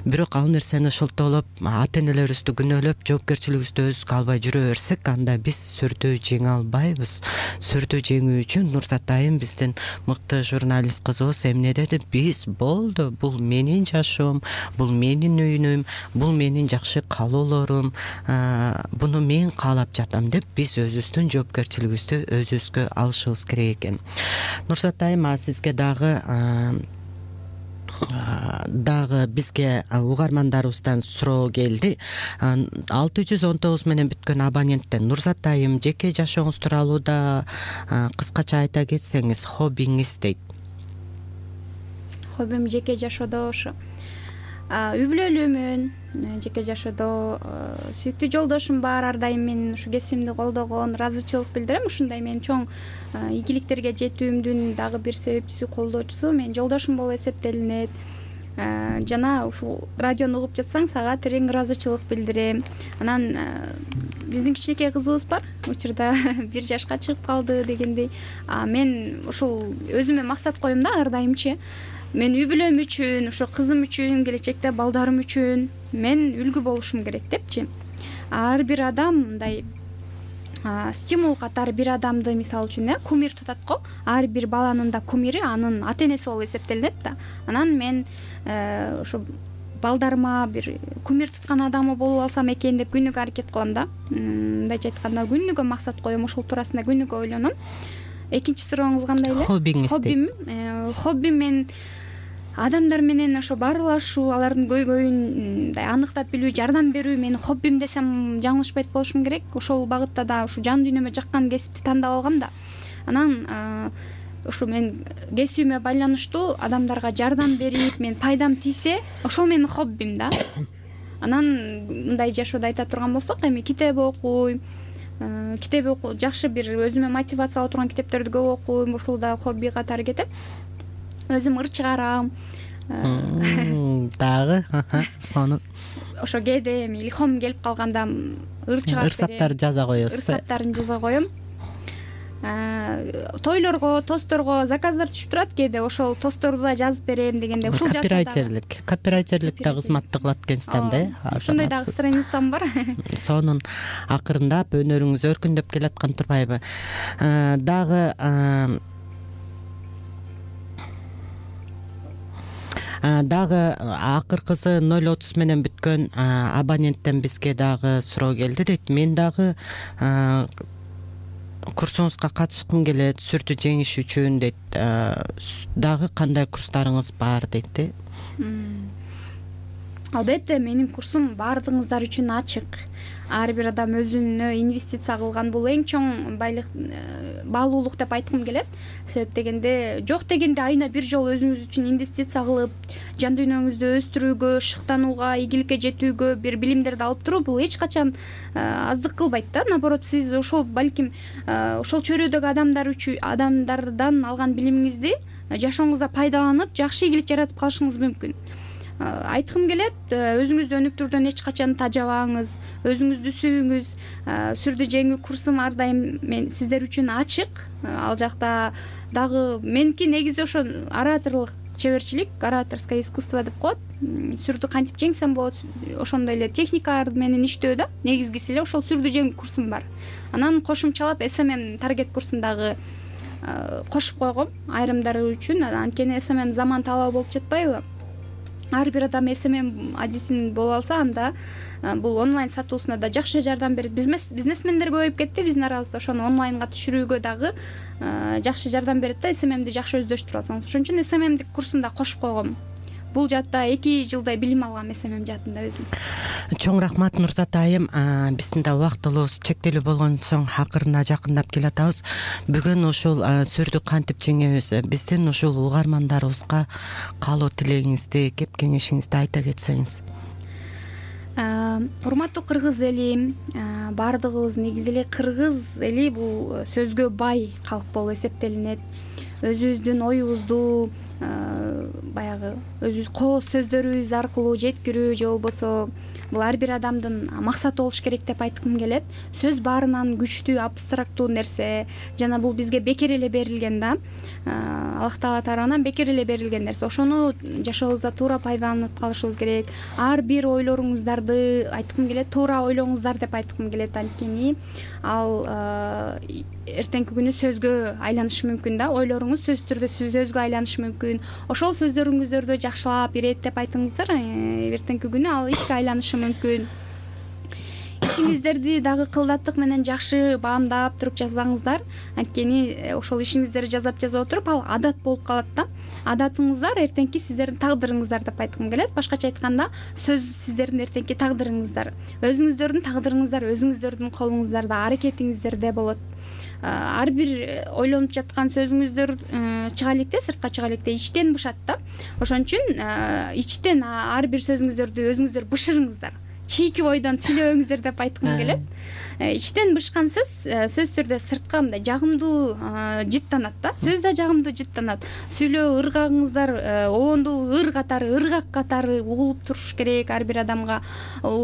Бирок ал нерсени шылтоолоп, ата энелерибизди күнөөлөп, жоопкерчилигибизди өзүбүзгө албай жүрө берсек, анда биз сүрдүү жеңе албайбыз. Сүрдүү жеңүү үчүн Нурзат айым, биздин мыкты журналист кызыбыз эмне деди? Биз болду, бул менин жашоом, бул менин үйүнүм, бул менин жакшы каалоолорум, буну мен каалап жатам деп биз өзүбүздүн жоопкерчилигибизди өзүбүзгө алышыбыз керек экен. Нурзат айым, сизге дагы бизге угармандарыбыздан суроо келди. 619 менен бүткөн абоненттен: Нурзат айым, жеке жашооңуз тууралуу да кыскача айта кетсеңиз, хоббиңиз дейт. Хоббим жеке жашоодо ошо үй бүлөлүүмүн. Жеке жашоодо сүйүктүү жолдошум бар, ар дайым менин ушу кесибимди колдогон, ыраазычылык билдирем. Ушундай менин чоң ийгиликтерге жетүүмдүн дагы бир себепчиси, колдоочусу менин жолдошум болуп эсептелинет. Жана ушул радиону угуп жатсаң, сага терең ыраазычылык билдирем. Анан биздин кичинекей кызыбыз бар, учурда 1 жашка чыгып калды дегендей. Мен ушул өзүмө максат коем да, ар дайымчы. Мен үй бүлөм үчүн, ошо кызым үчүн, келечекте балдарым үчүн мен үлгү болушум керек депчи. Ар бир адам мындай стимул катары бир адамды, мисалы үчүн, кумир тутат го. Ар бир баланын да кумири анын ата энеси болуп эсептелинет да. Анан мен ошо балдарыма бир кумир туткан адамы болуп алсам экен деп күнүгө аракет кылам да. Мындайча айтканда, күнүгө максат коем, ошол туурасында күнүгө ойлоном. Экинчи сурооңуз кандай эле? Хоббиңиз. Хоббим мен адамдар менен ошо баарлашуу, алардын көйгөйүн мындай аныктап билүү, жардам берүү менин хоббим десем жаңылышпайт болушум керек. Ошол багытта да ушу жан дүйнөмө жаккан кесипти тандап алгам да. Анан ушу мен кесибиме байланыштуу адамдарга жардам берип, мен пайдам тийсе, ошол менин хоббим да. Анан мындай жашоодо айта турган болсок, эми китеп окуйм, жакшы бир өзүмө мотивация ала турган китептерди көп окуйм, ушул да хобби катары кетет. Өзүм ыр чыгарам. Дагы сону Ошо кээде эми илхом келип калганда ыр чыгарып ыр саптарды жаза коесуз. Ыр саптарын жаза коем. Тойлорго, тостторго заказдар түшүп турат кээде, ошол тостторду да жазып берем дегенде ушул копирайтерлик да кызматты кылат экенсиз да. Ошондой дагы страницам бар. Сонун акырындап өнөрүңүз өркүндөп келаткан турбайбы? Дагы акыркысы 0.30 менен бүткөн абоненттен бизге дагы суроо келди дейт. Мен дагы курсуңузга катышкым келет, сүрдү жеңиш үчүн дейт. Дагы кандай курстарыңыз бар дейт? Албетте, менин курсум баардыгыңыздар үчүн ачык. Ар бир адам өзүнө инвестиция кылган бул эң чоң баалуулук деп айткым келет. Себеп дегенде жок дегенде айына бир жолу өзүңүз үчүн инвестиция кылып, жан дүйнөңүздү өстүрүүгө, шыктанууга, ийгиликке жетүүгө бир билимдерди алып туруу бул эч качан аздык кылбайт да. Наоборот, сиз ошол балким ошол чөйрөдөгү адамдардан алган билимиңизди жашооңузда пайдаланып, жакшы ийгилик жаратып калышыңыз мүмкүн. Айткым келет, өзүңүздү өнүктүрүүдөн эч качан тажабаңыз, өзүңүздү сүйүңүз. Сүрдү жеңүү курсум ар дайым мен сиздер үчүн ачык. Ал жакта дагы меники негизи ошо ораторлук чеберчилик, ораторское искусство деп коет. Сүрдү кантип жеңсем болот, ошондой эле техникалар менен иштөө да. Негизгиси эле ошол сүрдү жеңүү курсум бар. Анан кошумчалап SMM таргет курсун дагы кошуп койгом айрымдары үчүн. Анткени SMM заман талабы болуп жатпайбы? Ар бир адам SMM адисин боло алса, анда бул онлайн сатуусуна да жакшы жардам берет. Бизнесмендер көбөйүп кетти биздин арабызда, ошону онлайнга түшүрүүгө дагы жакшы жардам берет да, SMMди жакшы өздөштүрүп алсаңыз. Ошон үчүн SMMди курсунда кошуп койгом. Бул жатта 2 жылдай билим алгам SMM жаатында өзүм. Чоң рахмат Нурзат айым. Биздин да убактыбыз чектелүү болгон соң акырына жакындап келатабыз. Бүгүн ушул сүрдү кантип жеңебиз, биздин ушул угармандарыбызга каалоо тилегиңизди, кеп кеңешиңизди айта кетсеңиз. Урматтуу кыргыз эли, баардыгыбыз негизи эле кыргыз эли бул сөзгө бай калк болуп эсептелинет. Өзүбүздүн оюбузду баягы өзүбүз кооз сөздөрүбүз аркылуу жеткирүү же болбосо бул ар бир адамдын максаты болуш керек деп айткым келет. Сөз баарынан күчтүү, абстрактуу нерсе, жана бул бизге бекер эле берилген да. Аллах Таала тарабынан бекер эле берилген нерсе. Ошону жашообузда туура пайдаланып калышыбыз керек. Ар бир ойлоруңуздарды айткым келет, туура ойлоңуздар деп айткым келет. Анткени ал эртеңки күнү сөзгө айланышы мүмкүн да. Ойлоруңуз сөзсүз түрдө сөзгө айланышы мүмкүн. Ошол сөздөрүңүздөрдү жакшылап, иреттеп айтыңыздар. Эртеңки күнү ал ишке айланышы мүмкүн. Ишиңиздерди дагы кылдаттык менен жакшы баамдап туруп жазсаңыздар, анткени ошол ишиңиздерди жазап отуруп ал адат болуп калат да. Адатыңыздар эртеңки сиздердин тагдырыңыздар деп айткым келет. Башкача айтканда, сөз сиздердин эртеңки тагдырыңыздар. Өзүңүздөрдүн тагдырыңыздар өзүңүздөрдүн колуңуздарда, аракетиңиздерде болот. Ар бир ойлонуп жаткан сөзүңүздөр чыга электе, сыртка чыга электе, ичтен бышат да. Ошон үчүн ичтен ар бир сөзүңүздөрдү өзүңүздөр бышырыңыздар. Чийки ойдон сүйлөбөңүздөр деп айткым келет. Ичтен бышкан сөз түрдө сыртка мындай жагымдуу жыттанат да. Сөз да жагымдуу жыттанат. Сүйлөө ыргагыңыздар оонду ыргак катары угулуп туруш керек ар бир адамга.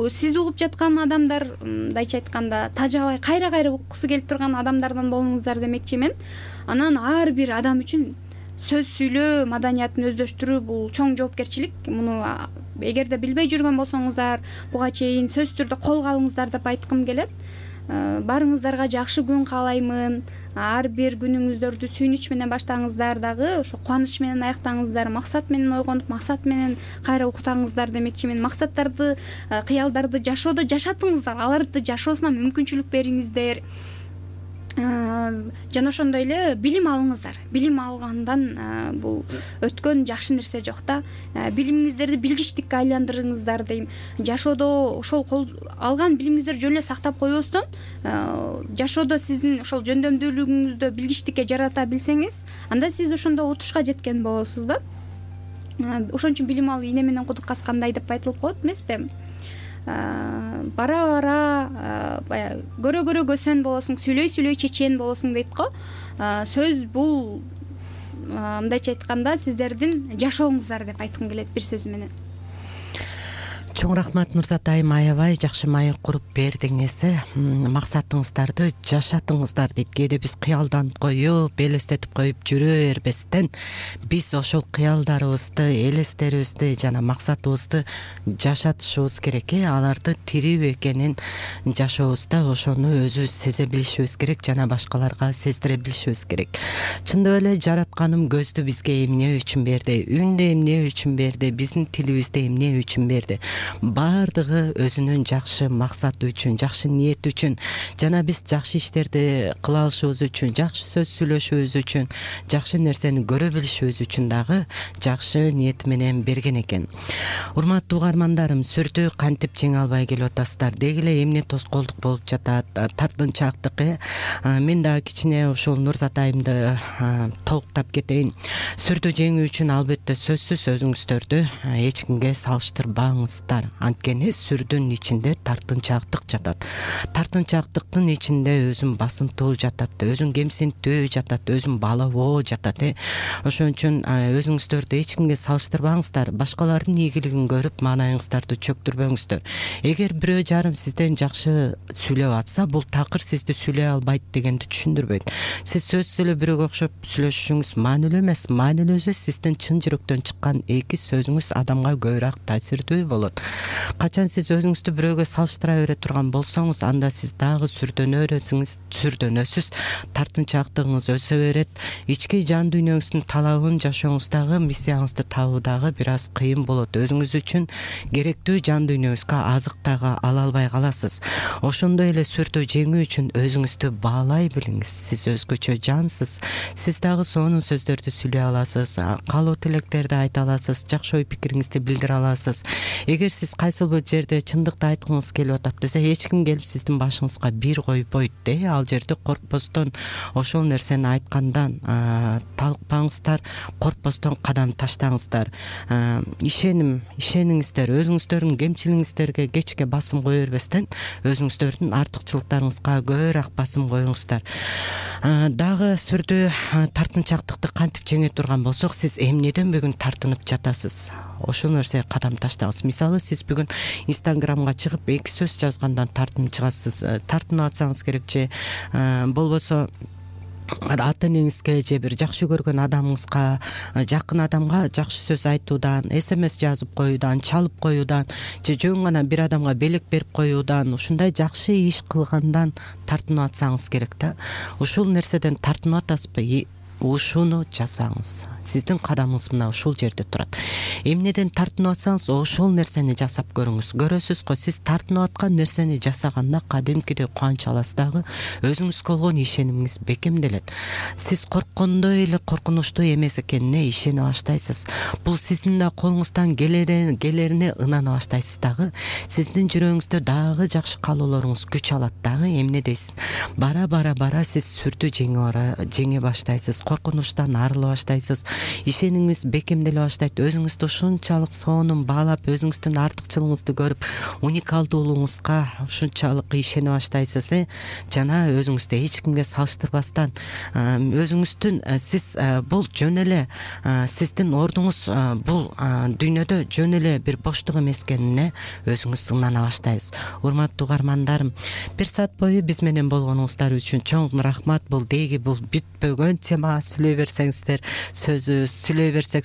Сиз угуп жаткан адамдар, мындайча айтканда, тажабай кайра уккусу келип турган адамдардан болуңуздар демекчи мен. Анан ар бир адам үчүн сөз сүйлөө маданиятын өздөштүрүү бул чоң жоопкерчилик. Муну эгерде билбей жүргөн болсоңуздар, буга чейин сөз түрдө колго алыңыздар деп айткым келет. Баарыңыздарга жакшы күн каалаймын. Ар бир күнүңүздөрдү сүйүнүч менен баштаңыздар, дагы ошо кубаныч менен аяктаңыздар, максат менен ойгонуп, максат менен кайра уктаңыздар демекчи мен. Максаттарды, кыялдарды жашоодо жашатыңыздар, аларды жашоосуна мүмкүнчүлүк бериңиздер. жана ошондой эле билим алыңыздар. Билим алгандан бул өткөн жакшы нерсе жок да. Билимиңиздерди билгичтикке айландырыңыздар дейм. Жашоодо ошол алган билимиңиздерди жөн эле сактап койбостон, жашоодо сиздин ошол жөндөмдүүлүгүңүздү билгичтикке жарата билсеңиз, анда сиз ошондо утушка жеткен болосуз да. Ошон үчүн билим алуу ийне менен кудук каскандай деп айтылып коет эмеспи? Бара бара баягы көрө көсөн болосуң, сүйлөй чечен болосуң дейт го. Сөз бул мындайча айтканда сиздердин жашооңуздар деп айткым келет бир сөз менен. Чоң рахмат Нурзат айым, аябай жакшы маек куруп бердиңиз. Максатыңыздарды жашатыңыздар дейт. Кээде биз кыялданып коюп, элестетип коюп жүрө бербестен, биз ошол кыялдарыбызды, элестерибизди жана максатыбызды жашатышыбыз керек. Аларды тирүү экенин жашообузда ошону өзүбүз сезе билишибиз керек жана башкаларга сездире билишибиз керек. Чындап эле жаратканым көздү бизге эмне үчүн берди, үндү эмне үчүн берди, биздин тилибизди эмне үчүн берди? Бардыгы өзүнүн жакшы максаты үчүн, жакшы ниет үчүн жана биз жакшы иштерди кыла алышыбыз үчүн, жакшы сөз сүйлөшүбүз үчүн, жакшы нерсени көрө билишибиз үчүн дагы жакшы ниет менен берген экен. Урматтуу угармандарым, сүрдү кантип жеңе албай келип атасыздар? Деги эле эмне тоскоолдук болуп жатат? Тартынчаактык. Мен дагы кичине ушул Нурзат айымды толуктап кетейин. Сүрдү жеңүү үчүн албетте сөзсүз өзүңүздөрдү эч кимге салыштырбаңыздар. Анткени сүрдүн ичинде тартынчаактык жатат. Тартынчаактыктын ичинде өзүн басынтуу жатат, өзүн кемсинтүү жатат, өзүн баалабоо жатат. Ошон үчүн өзүңүздөрдү эч кимге салыштырбаңыздар. Башкалардын ийгилигин көрүп маанайыңыздарды чөктүрбөңүздөр. Эгер бирөө жарым сизден жакшы сүйлөп атса, бул такыр сизди сүйлөй албайт дегенди түшүндүрбөйт. Сиз сөзсүз эле бирөөгө окшоп сүйлөшүшүңүз маанилүү эмес. Маанилүүсү сиздин чын жүрөктөн чыккан эки сөзүңүз адамга көбүрөөк таасирдүү болот. Качан сиз өзүңүздү бирөөгө салыштыра бере турган болсоңуз, анда сиз дагы сүрдөнөсүз, тартынчаактыгыңыз өсө берет. Ички жан дүйнөңүздүн талабын жашооңуздагы миссияңызды табуу дагы бир аз кыйын болот. Өзүңүз үчүн керектүү жан дүйнөңүзгө азык дагы ала албай каласыз. Ошондой эле сүрдү жеңүү үчүн өзүңүздү баалай билиңиз. Сиз өзгөчө жансыз. Сиз дагы сонун сөздөрдү сүйлөй аласыз, каалоо тилектерди айта аласыз, жакшы ой пикириңизди билдире аласыз. Эгер сиз кайсыл бир жерде чындыкты айткыңыз келип атат десе, эч ким келип сиздин башыңызга бир койбойт. Ал жерде коркпостон ошол нерсени айткандан талыкпаңыздар, коркпостон кадам таштаңыздар. Ишениңиздер, өзүңүздөрдүн кемчилигиңиздерге кечке басым кое бербестен, өзүңүздөрдүн артыкчылыктарыңызга көбүрөөк басым коюңуздар. Дагы сүрдү тартынчаактыкты кантип жеңе турган болсок, сиз эмнеден бүгүн тартынып жатасыз? Ошол нерсеге кадам таштаңыз. Мисалы, сиз бүгүн Инстаграмга чыгып эки сөз жазгандан тартынып чыгасыз. Тартынып атсаңыз керек же болбосо ата энеңизге же бир жакшы көргөн адамыңызга, жакын адамга жакшы сөз айтуудан, СМС жазып коюудан, чалып коюудан же жөн гана бир адамга белек берип коюудан, ушундай жакшы иш кылгандан тартынып атсаңыз керек да. Ушул нерседен тартынып атасызбы? Ушуну жасаңыз. Сиздин кадамыңыз мына ушул жерде турат. Эмнеден тартынып атсаңыз, ошол нерсени жасап көрүңүз. Көрөсүз го, сиз тартынып аткан нерсени жасаганда кадимкидей кубанч аласыз дагы, өзүңүзгө болгон ишенимиңиз бекемделет. Сиз корккондой эле коркунучтуу эмес экенине ишене баштайсыз. Бул сиздин да колуңуздан келерине ынана баштайсыз дагы. Сиздин жүрөгүңүздө дагы жакшы каалоолоруңуз күч алат дагы. Эмне дейсиз? Бара сиз сүрдү жеңе баштайсыз. Коркунучтан арыла баштайсыз. Ишенимиңиз бекемделе баштайт. Өзүңүздү ушунчалык сонун баалап, өзүңүздүн артыкчылыгыңызды көрүп, уникалдуулугуңузга ушунчалык ишене баштайсыз. Жана өзүңүздү эч кимге салыштырбастан, өзүңүздүн сиз бул жөн эле сиздин ордуңуз бул дүйнөдө жөн эле бир боштук эмес экенине өзүңүз ынана баштайсыз. Урматтуу угармандарым, бир саат бою биз менен болгонуңуздар үчүн чоң рахмат. Бул деги бул бүтпөгөн темага сүйлөй берсек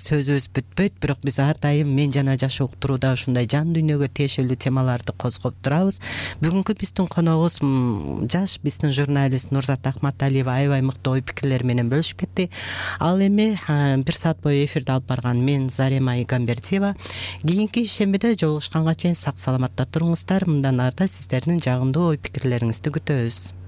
сөзүбүз бүтпөйт, бирок биз ар дайым мен жана жашоо уктурууда ушундай жан дүйнөгө тиешелүү темаларды козгоп турабыз. Бүгүнкү биздин коногубуз жаш биздин журналист Нурзат Акматалиева аябай мыкты ой пикирлер менен бөлүшүп кетти. Ал эми бир саат бою эфирди алып барган мен Зарема Игамбердиева. Кийинки шембиде жолугушканга чейин сак саламатта туруңуздар. Мындан арта сиздердин жагымдуу ой пикирлериңизди күтөбүз.